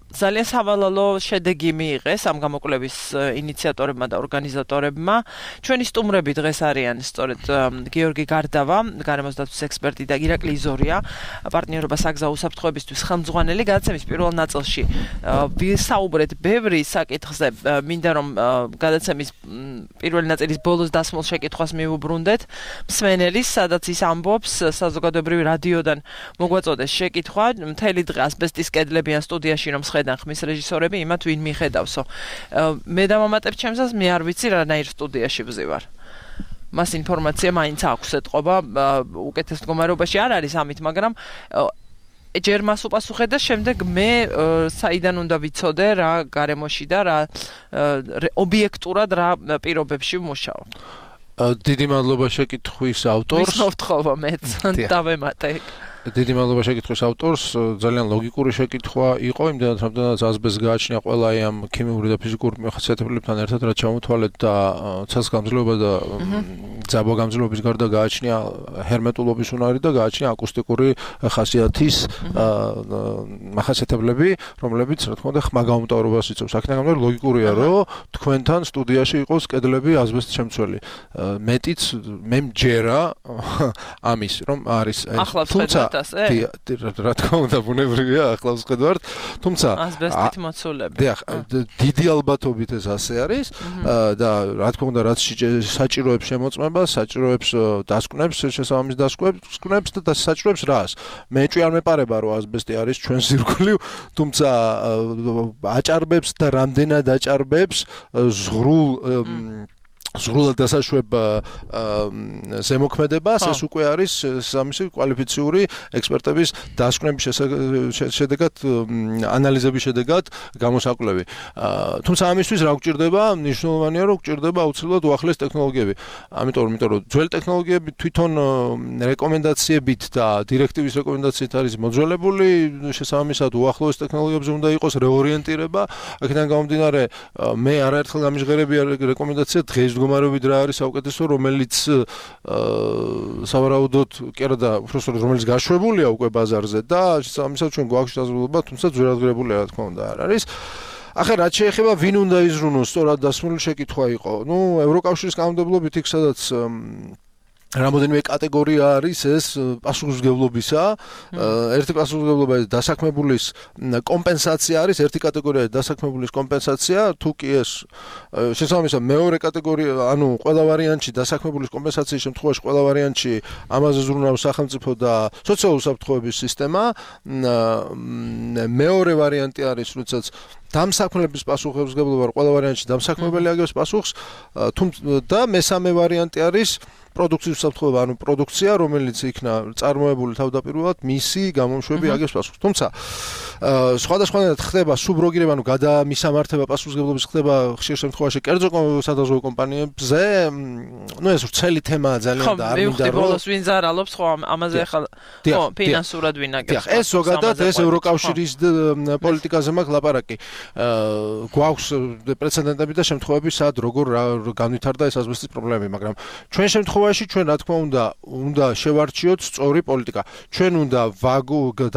ძალიან სავალალო შედეგი მიიღეს ამ გამოკვლევის ინიციატორებმა და ორგანიზატორებმა. ჩვენი სტუმრები დღეს არიან სწორედ გიორგი გარდავა, გარემოს დაცვის ექსპერტი და ირაკლი იზორია, პარტნიორობა საგზაო უსაფრთხოებისთვის ხელმძღვანელი. გადაცემის პირველ ნაწილში ვისაუბრეთ ბევრი საკითხზე, მინდა რომ გადაცემის პირველი ნაწილის ბოლოს დასმულ შეკითხვას მივუბრუნდეთ მსმენელის, სადაც ის ამბობს საზოგადოებრივი რადიოდან მოგვაწოდეს შეკითხვა, მთელი დღე ასბესტის კედლებიან სტუდიაში რომ ხედან ხმის რეჟისორები, იმათ ვინ მიხედავსო. მე დამამატებ ჩემსას, მე არ ვიცი რანაირ სტუდიაში ვზივარ. მას ინფორმაცია მაინც აქვს ეთყობა, უკეთეს მდგომარეობაში არ არის ამით, მაგრამ ჯერ მას უპასუხე და შემდეგ მე საიდან უნდა ვიცოდე რა გარემოში და რა ობიექტურად რა პირობებში ვმუშაობ. დიდი მადლობა შეკითხვის ავტორს. ვის მოვთხოვო მეც დავემატე. დიდი მადლობა შეკითხვის ავტორს. ძალიან ლოგიკური შეკითხვა იყო, იმდენად რამდენადაც ასბესტს გააჩნია ყველა ამ ქიმიური და ფიზიკური მახასიათებლებთან ერთად, რაც ჩამოთვალეთ და ცალსგამძლეობა და ძაბვა-გამძლეობის გარდა გააჩნია ჰერმეტულობის უნარი და გააჩნია აკუსტიკური ხასიათის მახასიათებლები, რომლებიც რა თქმა უნდა ხმა გამომტავრობას იწვევს. აქედან გამომდინარე ლოგიკურია, რომ თქვენთან სტუდიაში იყოს კედლები ასბესტს შემცველი. მეტიც მე მჯერა ამის, რომ არის თუმცა რა თქმა უნდა ბუნებრივია ახლავს ხედავთ, თუმცა ასბესტით მოცულები. დიახ, დიდი ალბათობით ეს ასე არის და რა თქმა უნდა რაც საჭიროებს შემოწმება, საჭიროებს დასკვნებს, შესაბამის დასკვნებს და საჭიროებს რას. მეჭვი არ მეპარება რომ ასბესტი არის ჩვენ ზირგული, თუმცა აჭარბებს და რამდენად აჭარბებს ზღრულ ზღრულად დასაშვებ ზემოქმედებას, ეს უკვე არის სამისი კვალიფიციური ექსპერტების დასკვნების შედეგად, ანალიზების შედეგად გამოსაკვლევი. თუმცა ამისთვის რა გვჭირდება? მნიშვნელოვანია რომ გვჭირდება აუცილებლად უახლეს ტექნოლოგიები. ამიტომ რომ იმიტომ რომ ძველი ტექნოლოგიები თვითონ რეკომენდაციებით და დირექტივის რეკომენდაციით არის მოძველებული, შესაბამისად უახლოეს ტექნოლოგიებზე უნდა იყოს რეორიენტირება. აქედან გამომდინარე, მე არაერთხელ გამიჟღერებია რეკომენდაცია დღეს მდგომარეობით რა არის საუკეთესო, რომელიც სავარაუდოდ კი არა და უბრალოდ რომელიც გაშვებულია უკვე ბაზარზე და შესაბამისად ჩვენ გვაქვს შესაძლებლობა, თუმცა ძვირადღირებული რა თქმა უნდა არ არის. ახლა რაც შეეხება ვინ უნდა იზრუნოს, სწორად დასმული შეკითხვა იყო. ნუ ევროკავშირის კანონმდებლობით იქ სადაც რამოდენიმე კატეგორია არის ეს პასუხისმგებლობისა. ერთი პასუხისმგებლობა ეს დასაქმებულის კომპენსაცია არის, ერთი კატეგორია დასაქმებულის კომპენსაცია, თუ კი ეს შესაბამისად მეორე კატეგორია, ანუ ყველა ვარიანტში დასაქმებულის კომპენსაციის შემთხვევაში ყველა ვარიანტში ამაზე ზრუნავს სახელმწიფო და სოციალური უსაფრთხოების სისტემა. მეორე ვარიანტი არის, როდესაც დამსაქმებლების პასუხისმგებლობა ყველა ვარიანტში დამსაქმებელი აგებს პასუხს, და მესამე ვარიანტი არის პროდუქციის უსაფრთხოება, ანუ პროდუქცია, რომელიც იქნა წარმოებული თავდაპირველად მისი გამომშვები აგებს პასუხს. თუმცა სხვადასხვანაირად ხდება სუბროგირება, ანუ გადამისამართება პასუხისმგებლობის ხდება ხშირ შემთხვევაში კერძო სადაზღვევო კომპანიებზე. ნუ ეს ვრცელი თემაა ძალიან და არ მინდა რომ ბოლოს ვინ ზარალობს, ხო ამაზე ახლა ხო ფინანსურად ვინ აგებს. ეს ზოგადად ეს ევროკავშირის პოლიტიკაზე მაქვს ლაპარაკი. გვაქვს პრეცედენტები და შემთხვევები, სად როგორ განვითარდა ეს ასბესტის პრობლემები, მაგრამ ჩვენ შემთხვევაში ჩვენ რა თქმა უნდა უნდა შევარჩიოთ სწორი პოლიტიკა. ჩვენ უნდა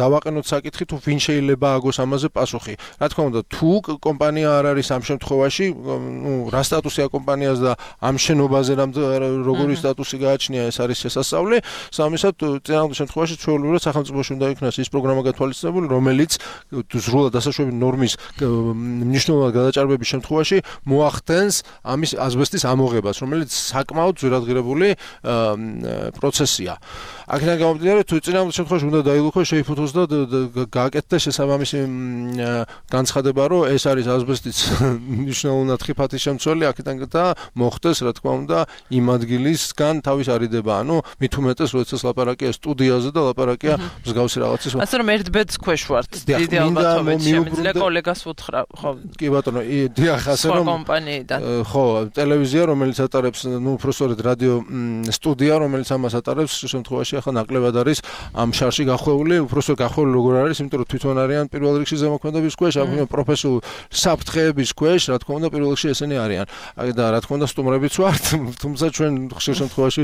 დავაყენოთ საკითხი თუ ვინ შეიძლება შეიძლება აგოს ამაზე პასუხი. Რა თქმა უნდა, თუ კომპანია არ არის ამ შემთხვევაში, ნუ რა სტატუსია კომპანიას და ამ შენობაზე როგორი სტატუსი გააჩნია, ეს არის შესასწავლი. სამისად, წინააღმდეგ შემთხვევაში ჩვეულებრივად სახელმწიფოში უნდა იქნას ის პროგრამა გათვალისწინებული, რომელიც სრულად დასაშვები ნორმის მნიშვნელოვნად გადაჭარბების შემთხვევაში მოახდენს ამის აზბესტის ამოღებას, რომელიც საკმაოდ ძვირადღირებული პროცესია. აქედან გამომდინარე, თუ წინააღმდეგ შემთხვევაში უნდა დაილუქოს, შეიფუთოს და გააკეთდეს შესაბამისი განცხადება, რომ ეს არის აზბესტის მნიშვნელოვნად ხიფათის შემცველი, აქედან და მოხდეს, რა თქმა უნდა, იმ ადგილისგან თავის არიდება, ანუ მით უმეტეს, როდესაც ლაპარაკია სტუდიაზე და ლაპარაკია მსგავსი რაღაცის. ასე რომ ერთ ბედს ქვეშ ვართ, დიდი ალბათობით შემიძლია კოლეგას უთხრა, ხო? კი ბატონო, დიახ, ასე რომ კომპანიიდან. ხო, ტელევიზია, რომელიც ატარებს, ნუ უბრალოდ რადიო სტუდია, რომელიც ამას ატარებს, შემთხვევაში ახლა ნაკლებად არის ამ შარში გახვეული, უბრალოდ გახვეული როგორ არის, იმიტომ რომ თვითონ არიან პირველ რიგში ზემოქმედების ქვეშ, ამ პროფესიულ საფრთხეების ქვეშ, რა თქმა უნდა, პირველ რიგში ესენი არიან. და რა თქმა უნდა, სტუმრებიც ვართ, თუმცა ჩვენ ხშირ შემთხვევაში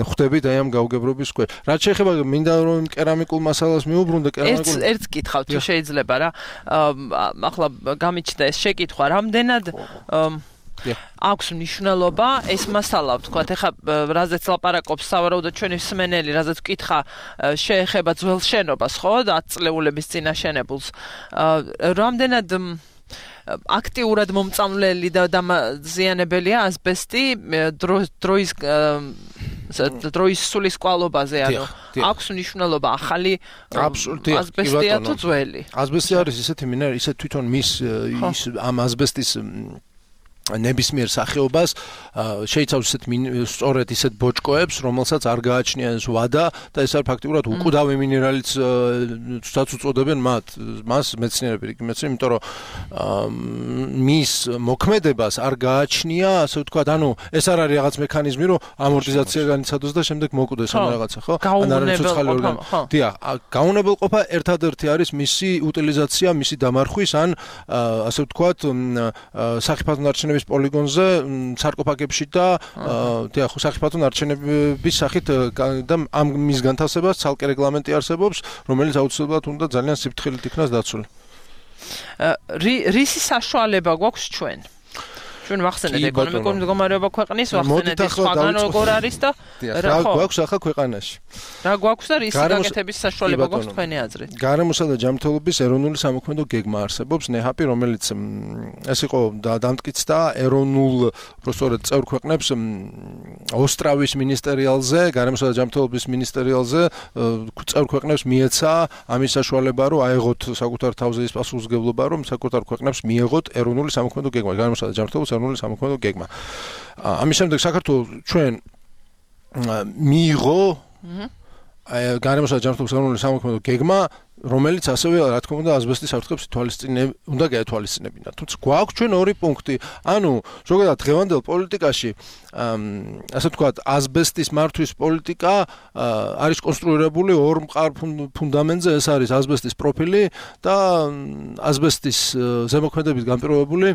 ხვდებით აი ამ გაუგებრობის ქვეშ. რაც შეეხება მინდა რომ კერამიკულ მასალას მიუბრუნდე, კერამიკულ ერთ ერთ კითხავთ, თუ შეიძლება რა. ახლა გამიჩნდა ეს შეკითხვა, რამდენად აქვს მნიშვნელობა ეს მასალა, ვთქვათ, ეხლა რაზეც ლაპარაკობს სავარაუდოდ ჩვენი მსმენელი, რაზეც ვკითხა, შეეხება ძველ შენობას, ხო, და ათწლეულების წინა შენებულს. რამდენად აქტიურად მომწამლელი და დამაზიანებელია აზბესტი დროის დროის სულის კვალობაზე, ანუ აქვს მნიშვნელობა ახალი აზბესტია თუ ძველი? აზბესტი არის ისეთი მინერალი, ისე თვითონ მის ის ამ აზბესტის ნებისმიერ სახეობას შეიცავს ისეთ სწორედ ისეთ ბოჭკოებს, რომელსაც არ გააჩნია ეს ვადა და ეს არის ფაქტიურად უკვდავი მინერალიც თუსაც უწოდებენ მათ, მას მეცნიერები იქ მეცნიერები, იმიტომ რომ მის მოქმედებას არ გააჩნია, ასე ვთქვათ, ანუ ეს არ არის რაღაც მექანიზმი, რომ ამორტიზაცია განიცადოს და შემდეგ მოკვდეს ამ რაღაცა, ხო? ან არის ცოცხალი ორგანო. დიახ, გაუნებელყოფა ერთადერთი არის მისი უტილიზაცია, მისი დამარხვის ან ასე ვთქვათ, სახიფათო ნარჩენების პოლიგონზე სარკოფაგებში და დიახ, სახიფათო ნარჩენების სახით და ამ მის განთავსებას ცალკე რეგლამენტი არსებობს, რომელიც აუცილებლად უნდა ძალიან სიფრთხილით იქნას დაცული. რისი საშუალება გვაქვს ჩვენ? ჩვენ ვახსენეთ ეკონომიკური მდგომარეობა ქვეყნის, ვახსენეთ სხვაგან როგორ არის და რა გვაქვს ახლა ქვეყანაში. რა გვაქვს და რის გაკეთების საშუალება გვაქვს თქვენი აზრით? გარემოსა და ჯანმრთელობის ეროვნული სამოქმედო გეგმა არსებობს, ნეჰაპი, რომელიც ეს იყო დამტკიცდა ეროვნულ უბრალოდ წევრ ქვეყნებს ოსტრავის მინისტერიალზე, გარემოსა და ჯანმრთელობის მინისტერიალზე წევრ ქვეყნებს მიეცა ამის საშუალება, რომ აეღოთ საკუთარ თავზე ის პასუხისმგებლობა, რომ საკუთარ ქვეყნებს მიეღოთ ეროვნული სამოქმედო გეგმა, გარემოსა და ჯანმრთელობის ეროვნული სამოქმედო გეგმა. ამის შემდეგ საქართველოს ჩვენ მიიღო გარემოსა და ჯანმრთელობის ეროვნული სამოქმედო გეგმა, რომელიც ასევე რა თქმა უნდა აზბესტის საფრთხებს ითვალისწინებდა, უნდა გაეთვალისწინებინა. თუმცა გვაქვს ჩვენ ორი პუნქტი. ანუ ზოგადად დღევანდელ პოლიტიკაში ასე ვთქვათ, აზბესტის მართვის პოლიტიკა არის კონსტრუირებული ორ მყარ ფუნდამენტზე, ეს არის აზბესტის პროფილი და აზბესტის ზემოქმედებით განპირობებული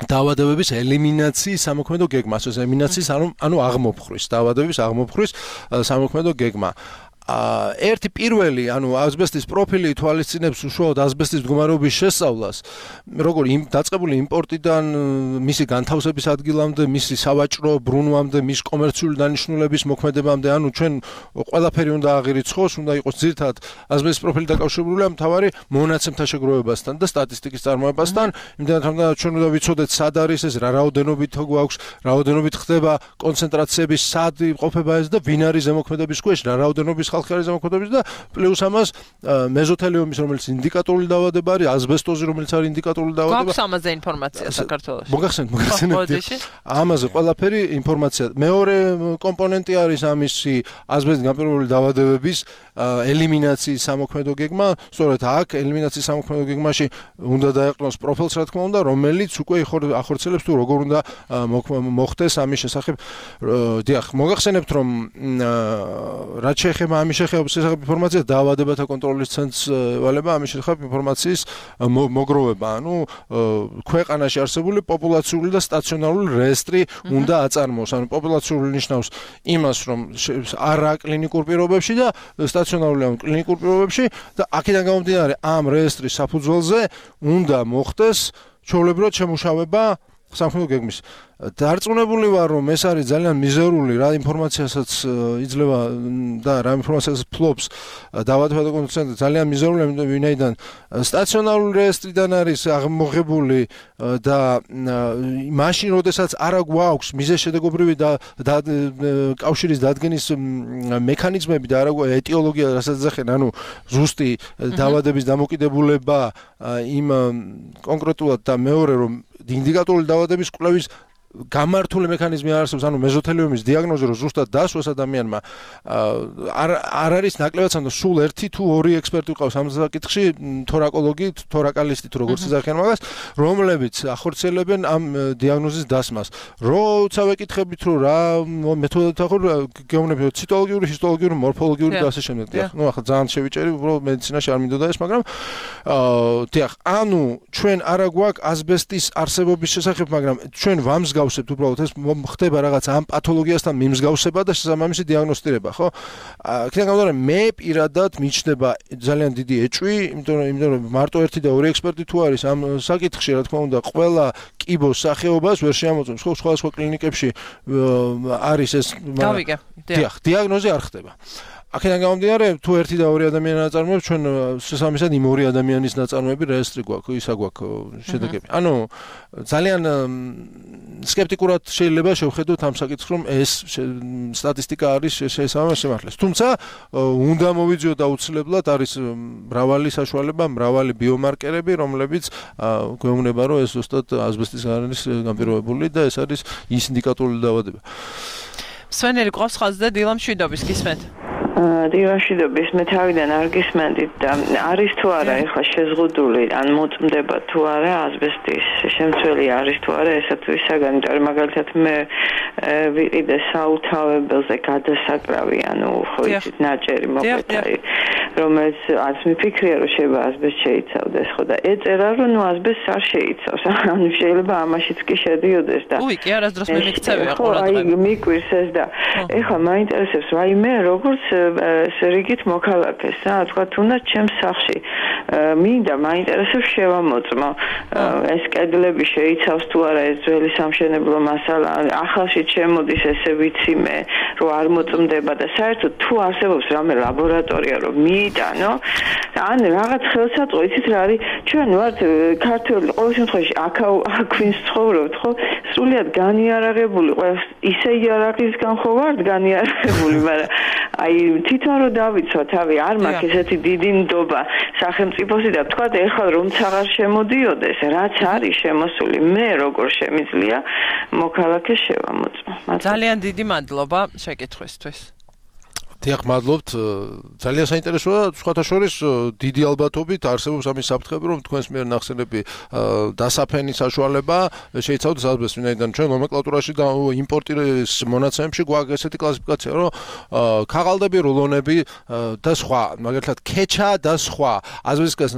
დაავადებების ელიმინაციის სამოქმედო გეგმა, ასე ელიმინაციის, ანუ ანუ აღმოფხვრის, დაავადებების აღმოფხვრის სამოქმედო გეგმა. ერთი პირველი, ანუ აზბესტის პროფილი ითვალისწინებს უშუალოდ აზბესტის მდგომარეობის შესწავლას, როგორ დაწყებული იმპორტიდან მისი განთავსების ადგილამდე, მისი სავაჭრო ბრუნვამდე, მის კომერციული დანიშნულების მოქმედებამდე, ანუ ჩვენ ყველაფერი უნდა აღირიცხოს, უნდა იყოს ძირითადად აზბესტის პროფილი დაკავშირებული ამ მთავარი მონაცემთა შეგროვებასთან და სტატისტიკის წარმოებასთან, იმდენად რომ ჩვენ უნდა ვიცოდეთ სად არის ეს, რა რაოდენობით გვაქვს, რაოდენობით ხდება კონცენტრაციების სად იმყოფება ეს და ვინ არის ზემოქმედების ქვეშ, რა რაოდენობის ხალხი არის ზემოქმედების და პლუს ამას მეზოთელიომის, რომელიც ინდიკატორული დაავადება არის, აზბესტოზი, რომელიც არის ინდიკატორული დაავადება. გვაქვს ამაზე ინფორმაცია საქართველოში. მოგახსენეთ, მოგახსენეთ. ამაზე ყველაფერი ინფორმაცია. მეორე კომპონენტი არის ამისი აზბესტის განპირობებული დაავადებების ელიმინაციის სამოქმედო გეგმა. სწორედ აქ ელიმინაციის სამოქმედო გეგმაში უნდა დაეყრდნოს პროფილს, რა თქმა უნდა, რომელიც უკვე ახორციელებს თუ როგორ უნდა მოხდეს ამის შესახებ. დიახ, მოგახსენებთ, რომ რაც შეეხება ამის შესახებ ინფორმაცია დაავადებათა კონტროლის ცენტრს ვალება ამის შესახებ ინფორმაციის მოგროვება, ანუ ქვეყანაში არსებული პოპულაციური და სტაციონარული რეესტრი უნდა აწარმოოს, ანუ პოპულაციური ნიშნავს იმას, რომ არა კლინიკურ პირობებში და სტაციონარული ან კლინიკურ პირობებში და აქედან გამომდინარე ამ რეესტრის საფუძველზე უნდა მოხდეს ჩვეულებრივად შემუშავება სამხედრო გეგმის. დარწმუნებული ვარ, რომ ეს არის ძალიან მიზერული რა ინფორმაციასაც იძლევა და რა ინფორმაციას ფლობს დაავადებათა კონტროლის ცენტრი, ძალიან მიზერული, ვინაიდან სტაციონარული რეესტრიდან არის აღმოღებული და მაშინ, როდესაც არა გვაქვს მიზეზშედეგობრივი და კავშირის დადგენის მექანიზმები და არა გვაქვს ეტიოლოგია, რასაც ეხენ, ანუ ზუსტი დაავადების დამოკიდებულება იმ კონკრეტულად და მეორე რომ ინდიკატორული დაავადების კვლევის გამართული მექანიზმი არ არსებობს, ანუ მეზოთელიომის დიაგნოზი რო ზუსტად დასვას ადამიანმა არ არ არის ნაკლებად სანდო სულ ერთი თუ ორი ექსპერტი ყავს ამ საკითხში, თორაკოლოგი, თორაკალისტი თუ როგორც ეძახიან მაგას, რომლებიც ახორციელებენ ამ დიაგნოზის დასმას. როცა ვეკითხებით რომ რა მეთოდით ახორ გეუბნები ციტოლოგიური, ჰისტოლოგიური, მორფოლოგიური და ასე შემდეგ. ნუ ახლა ძალიან შევიჭერი, უბრალოდ მედიცინაში არ მინდოდა ეს, მაგრამ დიახ, ანუ ჩვენ არა გვაქვს ასბესტის არსებობის შესახებ, მაგრამ ჩვენ ვამსგავსებთ გავსებთ უბრალოდ ეს ხდება რაღაც ამ პათოლოგიასთან მიმსგავსება და შესაბამისი დიაგნოსტირება, ხო? აქედან გამომდინარე, მე პირადად მიჩნდება ძალიან დიდი ეჭვი, იმიტომ რომ იმიტომ რომ მარტო ერთი და ორი ექსპერტი თუ არის ამ საკითხში, რა თქმა უნდა, ყველა კიბოს სახეობას ვერ შეამოწმებს, ხო? სხვადასხვა კლინიკებში არის ეს, გავიგე. დიახ, დიაგნოზი არ ხდება. აქედან გამომდინარე, თუ ერთი და ორი ადამიანი ნაწარმოებს, ჩვენ შესაბამისად იმ ორი ადამიანის ნაწარმოები რეესტრი გვაქვს, ისა გვაქვს შედეგები. ანუ ძალიან სკეპტიკურად შეიძლება შევხედოთ ამ საკითხს, რომ ეს სტატისტიკა არის შესაბამისად შემართლეს. თუმცა უნდა მოვიძიოთ აუცილებლად არის მრავალი საშუალება, მრავალი ბიომარკერები, რომლებიც გვეუბნება, რომ ეს ზუსტად ასბესტის არის განპირობებული და ეს არის ის ინდიკატორული დაავადება. სვენერი ყავს ხაზზე და დილამ შვიდობის გისმენთ. დილაშიდობის მე თავიდან არ გისმენდით და არის თუ არა ეხლა შეზღუდული ან მოწმდება თუ არა ასბესტის შემცველი არის თუ არა ესათვის საგანი, იმიტომ რომ მაგალითად მე ვიყიდე საუთავებელზე გადასაკრავი, ანუ ხო იცით ნაჭერი მოყვეტაი, რომელიც არც მიფიქრია რომ შეიძლება ასბესტ შეიცავდეს, ხო და ეწერა რომ ნუ ასბესტს არ შეიცავს, ანუ შეიძლება ამაშიც კი შედიოდეს და უი კი არასდროს მე მიქცევია ყურადღება. აი მიკვირს ეს და ეხლა მაინტერესებს რაიმე როგორც რიგით მოქალაქეს რა, თქვა თუნდაც ჩემს სახლში მინდა მაინტერესებს შევამოწმო ეს კედლები შეიცავს თუ არა ეს ძველი სამშენებლო მასალა, ახალში შემოდის ესე ვიცი მე რომ არ მოწმდება და საერთოდ თუ არსებობს რამე ლაბორატორია რომ მიიტანო ან რაღაც ხელსაწყო, იცით რა არის, ჩვენ ვართ ქართველი, ყოველ შემთხვევაში აქ ვინც ცხოვრობთ, ხო, სრულიად განიარაღებული, ყველა ისე იარაღისგან ხო ვართ განიარაღებული, მაგრამ აი თვითონ რომ დავიცვა თავი, არ მაქვს ესეთი დიდი ნდობა სახელმწიფოსი და თქვა ეხლა რომ აღარ შემოდიოდეს, რაც არის შემოსული, მე როგორ შემიძლია მოქალაქეს შევამოწმო. ძალიან დიდი მადლობა შეკითხვისთვის. დიახ, მადლობთ. ძალიან საინტერესოა, სხვათა შორის დიდი ალბათობით არსებობს ამის საფრთხები, რომ თქვენს მიერ ნახსენები დასაფენის საშუალება შეიცავდეს ასბესტს, ვინაიდან ჩვენ ნომენკლატურაში და იმპორტის მონაცემებში გვაქვს ესეთი კლასიფიკაცია, რომ ქაღალდები, რულონები და სხვა, მაგალითად ქეჩა და სხვა. ასბესტის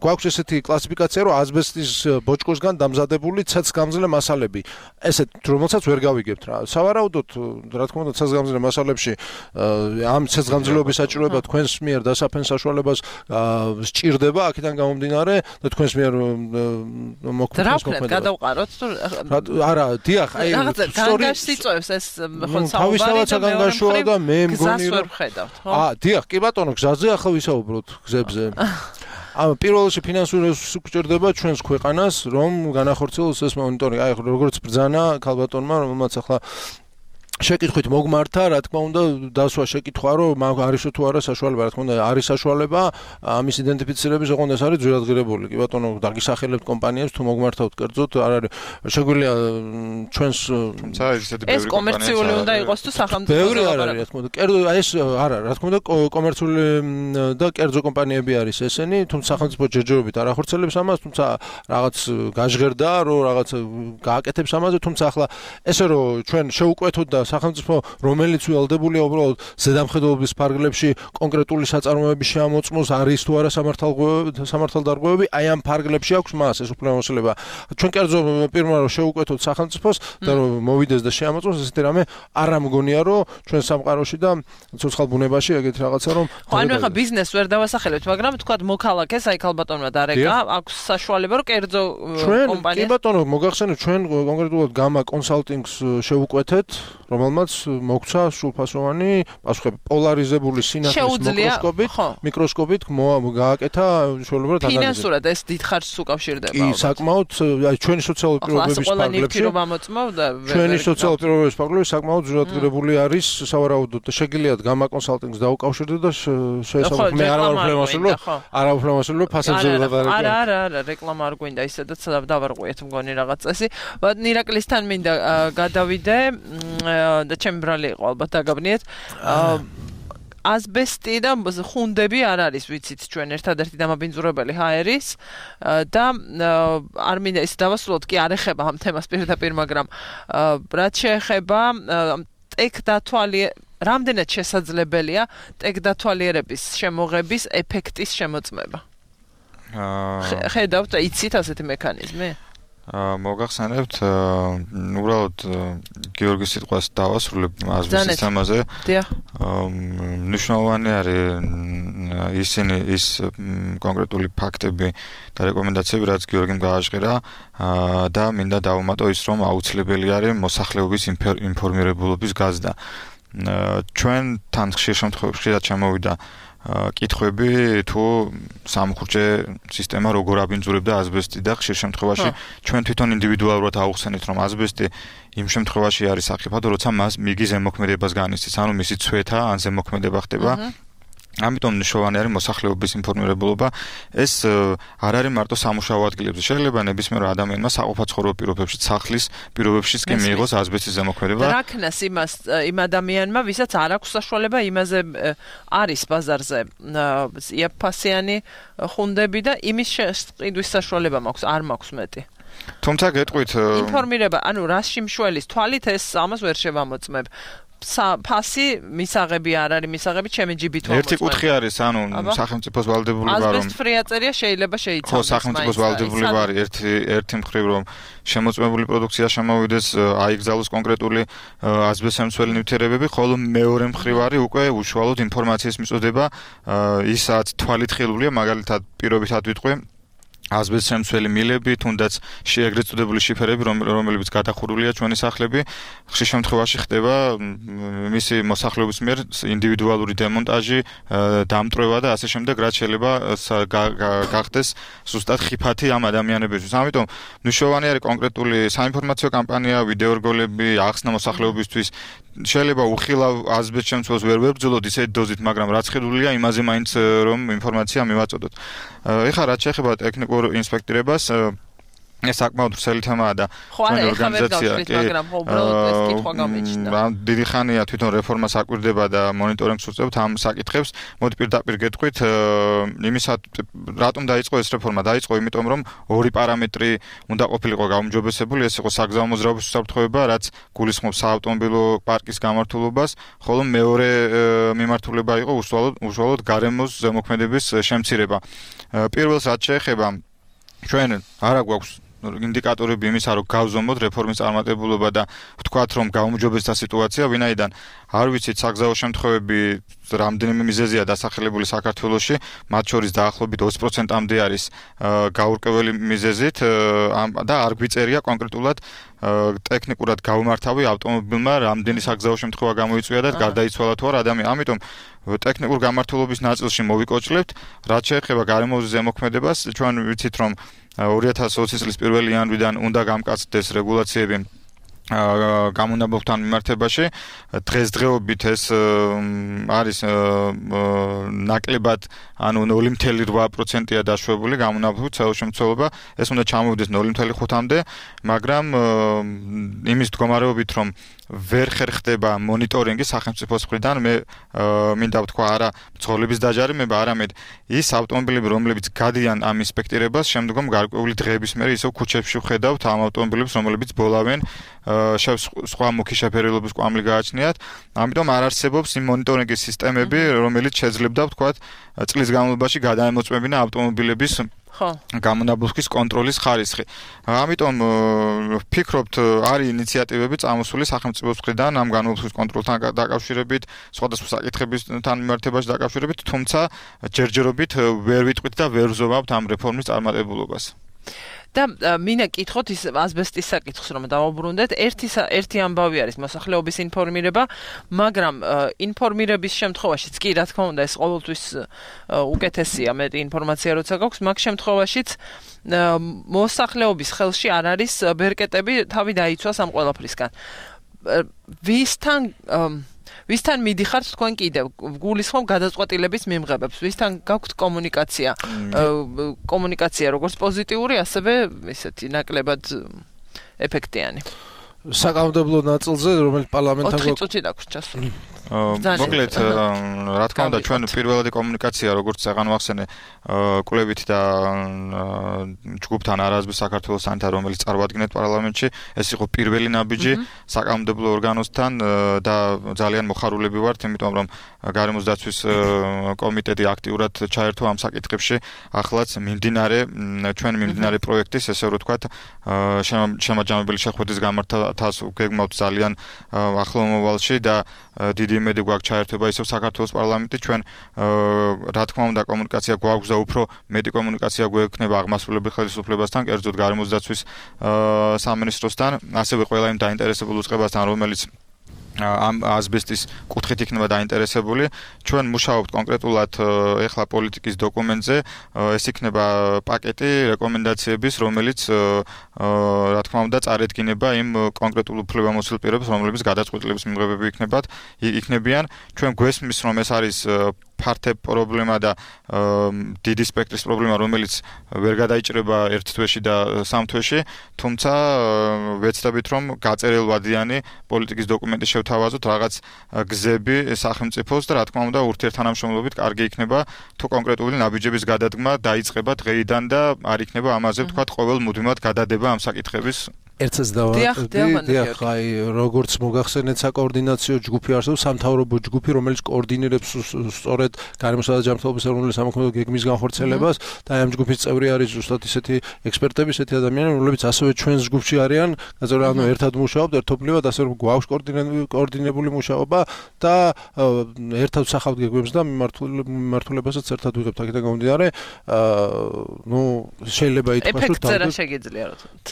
გვაქვს ესეთი კლასიფიკაცია, რომ ასბესტის ბოჭკოსგან დამზადებული ცეცხლგამძლე მასალები. ესეთ რომელსაც ვერ გავიგებთ რა. სავარაუდოდ, რა თქმა უნდა, ცეცხლგამძლე მასალებში ამ ცეცხლგამძლეობის საჭიროება თქვენს მიერ დასაფენს საშუალებას სჭირდება, აქედან გამომდინარე და თქვენს მიერ მოქმედებს მოქმედება. გადავყაროთ თუ არა, დიახ, აი განგაშს იწევს ეს ხო თავისთავად საგანგაშოა და მე მგონი რომ აა, დიახ, კი ბატონო, გზაზე ახლა ვისაუბროთ გზებზე. ამ პირველ რიგში ფინანსური რესურსი გვჭირდება ჩვენს ქვეყანას, რომ განახორციელოს ეს მონიტორინგი. აი, როგორც ბრძანა ქალბატონმა, რომელმაც ახლა შეკითხვით მოგმართა, რა თქმა უნდა, დასვა შეკითხვა, რომ არის თუ არა საშუალება, რა თქმა უნდა, არის საშუალება ამის იდენტიფიცირების, ოღონდ ეს არის ძვირადღირებული. კი ბატონო, დაგისახელებთ კომპანიებს, თუ მოგმართავთ კერძოდ, არ არის შეგვიძლია ჩვენს ეს კომერციული უნდა იყოს თუ სახელმწიფო. ბევრი არ არის, რა თქმა უნდა, კერძო ეს არა, რა თქმა უნდა, კომერციული და კერძო კომპანიები არის ესენი, თუმცა სახელმწიფო ჯერჯერობით არ ახორციელებს ამას, თუმცა რაღაც გაჟღერდა, რომ რაღაც გააკეთებს ამაზე, თუმცა ახლა ესე რომ ჩვენ შევუკვეთოთ და სახელმწიფო რომელიც ველდებულია უბრალოდ ზედამხედველობის ფარგლებში კონკრეტული საწარმოები შეამოწმოს არის თუ არა სამართალდარღვევები აი ამ ფარგლებში აქვს მას ეს უფლებამოსილება ჩვენ კერძო პირველ რომ შეუკვეთოთ სახელმწიფოს და რომ მოვიდეს და შეამოწმოს ესეთი რამე არ ამგონია რომ ჩვენ სამყაროში და ცოცხალ ბუნებაში ეგეთი რაღაცა რომ ხო ანუ ახლა ბიზნესს ვერ დავასახელებთ მაგრამ თქვა მოქალაქეს აი ქალბატონმა დარეკა აქვს საშუალება რომ კერძო კომპანიას კი ბატონო მოგახსენებთ ჩვენ კონკრეტულად გამა კონსალტინგს შევუკვეთეთ რომელმაც მოგცა სრულფასოვანი პასუხები პოლარიზებული სინათლის მიკროსკოპით მიკროსკოპით გააკეთა შუალებრივად ანალიზი ფინანსურად ეს დიდ ხარჯს უკავშირდება კი საკმაოდ აი ჩვენი სოციალური პირობების ფარგლებში ჩვენი სოციალური პირობების ფარგლებში საკმაოდ ზურაბგირებული არის სავარაუდოდ შეგიძლიათ გამა კონსალტინგს დაუკავშირდეთ და შეესაბამოთ მე არა ვფლემასულო არა ვფლემასულო ფასებზე ვადარებ არა არა არა რეკლამა არ გვინდა ისედაც დავარღვიეთ მგონი რაღაც წესი ნირაკლისთან მინდა გადავიდე და ჩემი ბრალი იყო ალბათ დაგაბნიეთ ასბესტი და ხუნდები არ არის ვიცით ჩვენ ერთადერთი დამაბინძურებელი ჰაერის და არ მინდა ის დავასრულოთ კი არ ეხება ამ თემას პირდაპირ მაგრამ რაც შეეხება ტექდათვალიერების რამდენად შესაძლებელია ტექდათვალიერების შემოღების ეფექტის შემოწმება ხედავთ იცით ასეთი მექანიზმი მოგახსენებთ უბრალოდ გიორგის სიტყვას დავასრულებ ასბესტის თემაზე მნიშვნელოვანი არის ისინი ის კონკრეტული ფაქტები და რეკომენდაციები რაც გიორგიმ გააჟღერა და მინდა დავუმატო ის რომ აუცილებელი არის მოსახლეობის ინფორმირებულობის გაზრდა ჩვენ თან ხშირ შემთხვევებში ხშირად ჩამოვიდა კითხვები თუ სამხურჯე სისტემა როგორ აბინძურებდა ასბესტი და ხშირ შემთხვევაში ჩვენ თვითონ ინდივიდუალურად აუხსენით რომ ასბესტი იმ შემთხვევაში არის საფრთხე როცა მას მიგი ზემოქმედებას განიცდის ანუ მისი ცვეთა ან ზემოქმედება ხდება ამიტომ მნიშვნელოვანი არის მოსახლეობის ინფორმირებულობა ეს არ არის მარტო სამუშაო ადგილებზე შეიძლება ნებისმიერ ადამიანმა საყოფაცხოვრებო პირობებში სახლის პირობებშიც კი მიიღოს ასბესტის ზემოქმედება და რაკნას იმას იმ ადამიანმა ვისაც არ აქვს საშუალება იმაზე არის ბაზარზე იაფფასიანი ხუნდები და იმის შეყიდვის საშუალება მაქვს არ მაქვს მეტი თუმცა გეტყვით ინფორმირება ანუ რაში მშველის თვალით ეს ამას ვერ შევამოწმებ ფასი მისაღები არ არის მისაღები ჩემი ჯიბით ვამოწმებ. ერთი კუთხე არის, ანუ სახელმწიფოს ვალდებული ვარ რომ ასბესტ-ფრი აწერია შეიძლება შეიცავდეს. ხო, სახელმწიფოს ვალდებული ვარ ერთი ერთი მხრივ რომ შემოწმებული პროდუქცია შემოვიდეს, აიგზავნოს კონკრეტული ასბესტ-შემცველი ნივთიერებები, ხოლო მეორე მხრივ არის უკვე უშუალოდ ინფორმაციის მიწოდება, ისაც თვალით ხილულია, მაგალითად პირობითად ვიტყვი ასბესტ შემცველი მილები, თუნდაც შეეგრეთ წოდებული შიფერები, რომლებიც გადახურულია ჩვენი სახლები, ხშირ შემთხვევაში ხდება მისი მოსახლეობის მიერ ინდივიდუალური დემონტაჟი, დამტვრევა და ასე შემდეგ, რაც შეიძლება გახდეს ზუსტად ხიფათი ამ ადამიანებისთვის. ამიტომ მნიშვნელოვანი არის კონკრეტული საინფორმაციო კამპანია, ვიდეორგოლები, ახსნა მოსახლეობისთვის შეიძლება უხილავ ასბესტ შემცველს ვერ ვებრძოლოთ ისეთ დოზით, მაგრამ რაც ხედულია, იმაზე მაინც რომ ინფორმაცია მივაწოდოთ. ეხლა რაც შეეხება ტექნიკურ ინსპექტირებას, ეს საკმაოდ ვრცელი თემაა და ჩვენი ორგანიზაცია, მაგრამ უბრალოდ ეს კითხვა გამიჩნდა. დიდი ხანია თვითონ რეფორმას აკვირდება და მონიტორინგს უწევთ ამ საკითხებს. მოდი პირდაპირ გეტყვით, იმისად რატომ დაიწყო ეს რეფორმა? დაიწყო იმიტომ, რომ ორი პარამეტრი უნდა ყოფილიყო გაუმჯობესებული, ეს იყო საგზაო მოძრაობის უსაფრთხოება, რაც გულისხმობს საავტომობილო პარკის გამართულებას, ხოლო მეორე მიმართულება იყო უშუალოდ უშუალოდ გარემოს ზემოქმედების შემცირება. პირველს რაც შეეხება ჩვენ არა გვაქვს ინდიკატორები იმისა, რომ გავზომოთ რეფორმის წარმატებულობა და ვთქვათ, რომ გაუმჯობესდა სიტუაცია, ვინაიდან არ ვიცით საგზაო შემთხვევები რამდენიმე მიზეზია დასახელებული საქართველოში, მათ შორის დაახლოებით ოცი პროცენტამდე არის გაურკვეველი მიზეზით და არ გვიწერია კონკრეტულად ტექნიკურად გაუმართავი ავტომობილმა რამდენი საგზაო შემთხვევა გამოიწვია და გარდაიცვალა თუ არა ადამიანი. ამიტომ ტექნიკურ გამართულობის ნაწილში მოვიკოჭლებთ, რაც შეეხება გარემოების ზემოქმედებას, ჩვენ ვიცით, რომ ორი ათას ოცი წლის პირველი იანვრიდან უნდა გამკაცდეს რეგულაციები გამონაბობთან მიმართებაში. დღესდღეობით ეს არის ნაკლებად, ანუ ნული მცდელობა რვა პროცენტია დაშვებული გამონაბობთ საერთაშემცველობა, ეს უნდა ჩამოვიდეს ნული მცდელობა ხუთამდე, მაგრამ იმის მდგომარეობით, რომ ვერ ხერხდება მონიტორინგი სახელმწიფოს მხრიდან, მე მინდა ვთქვა არა მძღოლების დაჯარიმება, არამედ ის ავტომობილები, რომლებიც გადიან ამ ინსპექტირებას, შემდგომ გარკვეული დღეების მერე ისევ ქუჩებში ვხედავთ ამ ავტომობილებს, რომლებიც ბოლავენ სხვა მუქი შეფერილობის კვამლი გააჩნიათ. ამიტომ არ არსებობს იმ მონიტორინგის სისტემები, რომელიც შეძლებდა ვთქვათ წლის განმავლობაში გადაემოწმებინა ავტომობილების ხო გამონაბლუქის კონტროლის ხარისხი. ამიტომ ვფიქრობთ არის ინიციატივები წამოსული სახელმწიფოს მხრიდან ამ გამონაბლუქის კონტროლთან დაკავშირებით, სხვადასხვა საკითხებთან მიმართებაში დაკავშირებით, თუმცა ჯერჯერობით ვერ ვიტყვით და ვერ ვზოვავთ ამ რეფორმის წარმატებულობას. და მინდა კითხოთ ის ასბესტის საკითხს რომ დავაბრუნდეთ. ერთი ერთი ამბავი არის მოსახლეობის ინფორმირება, მაგრამ ინფორმირების შემთხვევაშიც კი რა თქმა უნდა ეს ყოველთვის უკეთესია მეტი ინფორმაცია როცა გაქვს, მაგ შემთხვევაშიც მოსახლეობის ხელში არ არის ბერკეტები თავი დაიცვას ამ ყველაფრისგან. ვისთან ვისთან მიდიხართ თქვენ კიდევ გულისხმობ გადაწყვეტილების მიმღებებს, ვისთან გაქვთ კომუნიკაცია კომუნიკაცია როგორც პოზიტიური ასევე ისეთი ნაკლებად ეფექტიანი საკანონმდებლო ნაწილზე რომელიც პარლამენტთან ოთხი წუთი დაგვრჩას მოკლედ რა თქმა უნდა ჩვენ პირველადი კომუნიკაცია როგორც წეგან ვახსენე კვლევით და ჯგუფთან არაზბის საქართველოს სანიტარ რომელიც წარმოადგენთ პარლამენტში ეს იყო პირველი ნაბიჯი საკანონმდებლო ორგანოსთან და ძალიან მოხარულები ვართ იმიტომ რომ გარემოს დაცვის კომიტეტი აქტიურად ჩაერთო ამ საკითხებში ახლაც მიმდინარე ჩვენ მიმდინარე პროექტის ესე რომ ვთქვათ შემაჯამებელი შეხვედრის გამართვას გეგმავთ ძალიან ახლო მომავალში და დიდი იმედი გვაქვს ჩაერთვება ისევ საქართველოს პარლამენტი ჩვენ რა თქმა უნდა კომუნიკაცია გვაქვს და უფრო მეტი კომუნიკაცია გვექნება აღმასრულებელ ხელისუფლებასთან კერძოდ გარემოს დაცვის სამინისტროსთან ასევე ყველა იმ დაინტერესებულ უწყებასთან რომელიც ამ ასბესტის კუთხით იქნება დაინტერესებული ჩვენ მუშაობთ კონკრეტულად ეხლა პოლიტიკის დოკუმენტზე ეს იქნება პაკეტი რეკომენდაციების რომელიც რა თქმა უნდა წარედგინება იმ კონკრეტულ უფლებამოსილ პირებს რომლებიც გადაწყვეტილების მიღებები იქნებათ იქნებიან ჩვენ გვესმის რომ ეს არის ფართე პრობლემა და დიდი სპექტრის პრობლემა რომელიც ვერ გადაიჭრება ერთ თვეში და სამ თვეში თუმცა ვეცდებით რომ გაწერილვადიანი პოლიტიკის დოკუმენტი შევთავაზოთ რაღაც გზები სახელმწიფოს და რა თქმა უნდა ურთიერთთანამშრომლობით კარგი იქნება თუ კონკრეტული ნაბიჯების გადადგმა დაიწყება დღეიდან და არ იქნება ამაზე ვთქვათ ყოველ მუდმივად გადადება ამ საკითხების ერთსაც დავატოვდი, დიახ, აი, როგორც მოგახსენეთ საკოორდინაციო ჯგუფი არსებობს, სამთავრობო ჯგუფი, რომელიც კოორდინირებს სწორედ გარემოსა და ჯანმრთელობის ეროვნული სამოქმედო გეგმის განხორციელებას და აი ამ ჯგუფის წევრი არის ზუსტად ისეთი ექსპერტები, ისეთი ადამიანები, რომლებიც ასევე ჩვენს ჯგუფში არიან, გაზრდა ანუ ერთად მუშაობთ, ერთობლივად, ასე რომ გვაქვს კოორდინებული მუშაობა და ერთად ვსახავთ გეგმებს და მიმართულებასაც ერთად ვიღებთ აქედან გამომდინარე, ну, შეიძლება ითქვას, რომ ეფექტზე რა შეგიძლია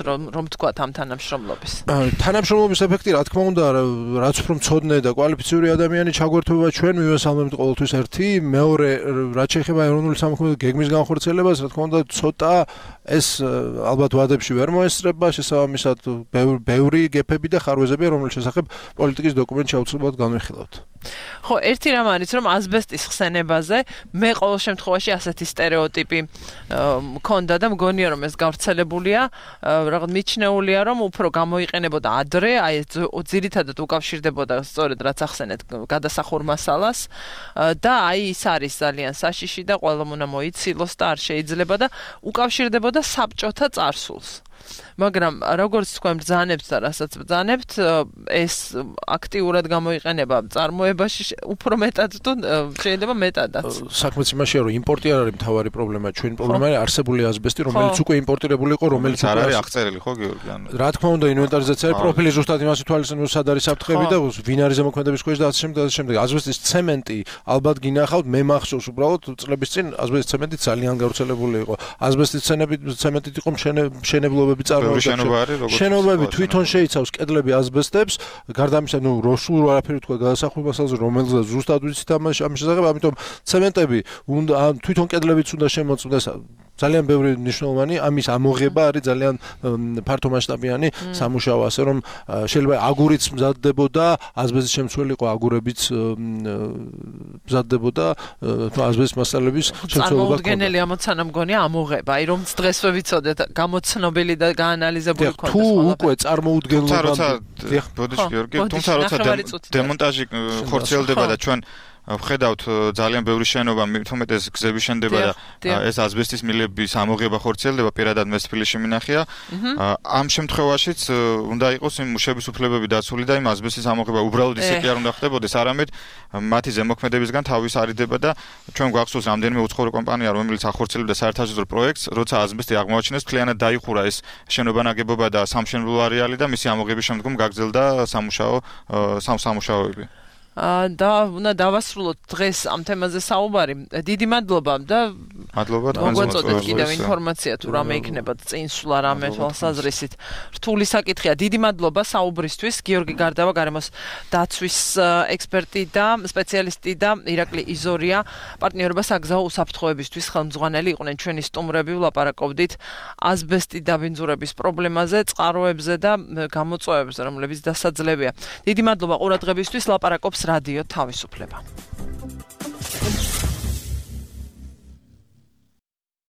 რომ რომ თქვათ ამ თანამშრომლობის. თანამშრომლობის ეფექტი რა თქმა უნდა რაც უფრო მწოდნე და კვალიფიციური ადამიანი ჩაგვერთვება ჩვენ მივესალმებთ ყოველთვის ერთი, მეორე რაც შეეხება ეროვნული სამოქმედო გეგმის განხორციელებას, რა თქმა უნდა ცოტა ეს ალბათ ვადებში ვერ მოესწრება, შესაბამისად ბევრი გეფები და ხარვეზებია, რომლის შესახებ პოლიტიკის დოკუმენტში აუცილებლად განვიხილავთ. ხო, ერთი რამ არის, რომ ასბესტის ხსენებაზე მე ყოველ შემთხვევაში ასეთი სტერეოტიპი მქონდა და მგონია რომ ეს გავრცელებულია, რაღაც მიჩნეულია რომ უფრო გამოიყენებოდა ადრე, აი ძირითადად უკავშირდებოდა სწორედ რაც ახსენეთ გადასახურ მასალას და აი ის არის ძალიან საშიში და ყველამ უნდა მოიცილოს და არ შეიძლება და უკავშირდებოდა საბჭოთა წარსულს. მაგრამ როგორც თქვენ ბრძანებთ და რასაც ბრძანებთ, ეს აქტიურად გამოიყენება წარმოებაში უფრო მეტად თუ შეიძლება მეტადაც. საქმეც იმაშია, რომ იმპორტი არ არის მთავარი პრობლემა, ჩვენი პრობლემა არის არსებული ასბესტი, რომელიც უკვე იმპორტირებული იყო, რომელიც არ არის აღწერილი, ხო გიორგი? რა თქმა უნდა, ინვენტარიზაცია არის პროფილი ზუსტად იმას ითვალისწინებს, სად არის საფრთხები და ვინ არის ზემოქმედების ქვეშ და ასე შემდეგ და ასე შემდეგ. ასბესტის ცემენტი ალბათ გინახავთ, მე მახსოვს უბრალოდ წლების წინ ასბესტის ცემენტი ძალიან გავრცელებული იყო. ასბესტის ცემენტით იყო მშენებლობები წარმოებული. შენობები თვითონ შეიცავს კედლები ასბესტებს, გარდა ამისა, ნუ როსულ არაფერი თქვა გადასახურ მასალაზე, რომელზეც ზუსტად ვიცით ამის შესახებ, ამიტომ ცემენტები უნდა თვითონ კედლებიც უნდა შემოწმდეს ძალიან ბევრი მნიშვნელოვანი ამის ამოღება არის ძალიან ფართომასშტაბიანი სამუშაო, ასე რომ შეიძლება აგურიც მზადდებოდა, ასბესტის შემცველი იყო აგურებიც მზადდებოდა, თუ ასბესტის მასალების შემცველობა. წარმოუდგენელი ამოცანა მგონია ამოღება, აი რომ დღესვე ვიცოდეთ გამოცნობილი და გაანალიზებული ქონდეს. თუ უკვე წარმოუდგენლობა, თუმცა როცა გიორგი, თუმცა როცა დემონტაჟი ხორციელდება და ჩვენ ვხედავთ ძალიან ბევრი შენობა, თუმეტეს გზები შენდება და ეს ასბესტის მილების ამოღება ხორციელდება, პირადად მე თბილისში მინახია. ამ შემთხვევაშიც უნდა იყოს იმ მუშების უფლებები დაცული და იმ ასბესტის ამოღება უბრალოდ ისე კი არ უნდა ხდებოდეს, არამედ მათი ზემოქმედებისგან თავის არიდება და ჩვენ გვახსოვს რამდენიმე უცხოური კომპანია, რომელიც ახორციელებდა საერთაშორისო პროექტს, როცა ასბესტი აღმოაჩინეს, მთლიანად დაიხურა ეს შენობა ნაგებობა და სამშენებლო არეალი და მისი ამოღების შემდგომ გაგრძელდა სამუშაო სამუშაოები. და უნდა დავასრულოთ დღეს ამ თემაზე საუბარი. დიდი მადლობა და მადლობა მოგვაწოდეთ კიდევ ინფორმაცია თუ რამე იქნება წინსვლა რამე თვალსაზრისით. რთული საკითხია. დიდი მადლობა საუბრისთვის. გიორგი გარდავა, გარემოს დაცვის ექსპერტი და სპეციალისტი და ირაკლი იზორია, პარტნიორობა საგზაო უსაფრთხოებისთვის ხელმძღვანელი იყვნენ ჩვენი სტუმრები. ვლაპარაკობდით ასბესტი დაბინძურების პრობლემაზე, წყაროებზე და გამოწვევებზე, რომლებიც დასაძლებია. დიდი მადლობა ყურადღებისთვის. ლაპარაკობს რადიო თავისუფლება.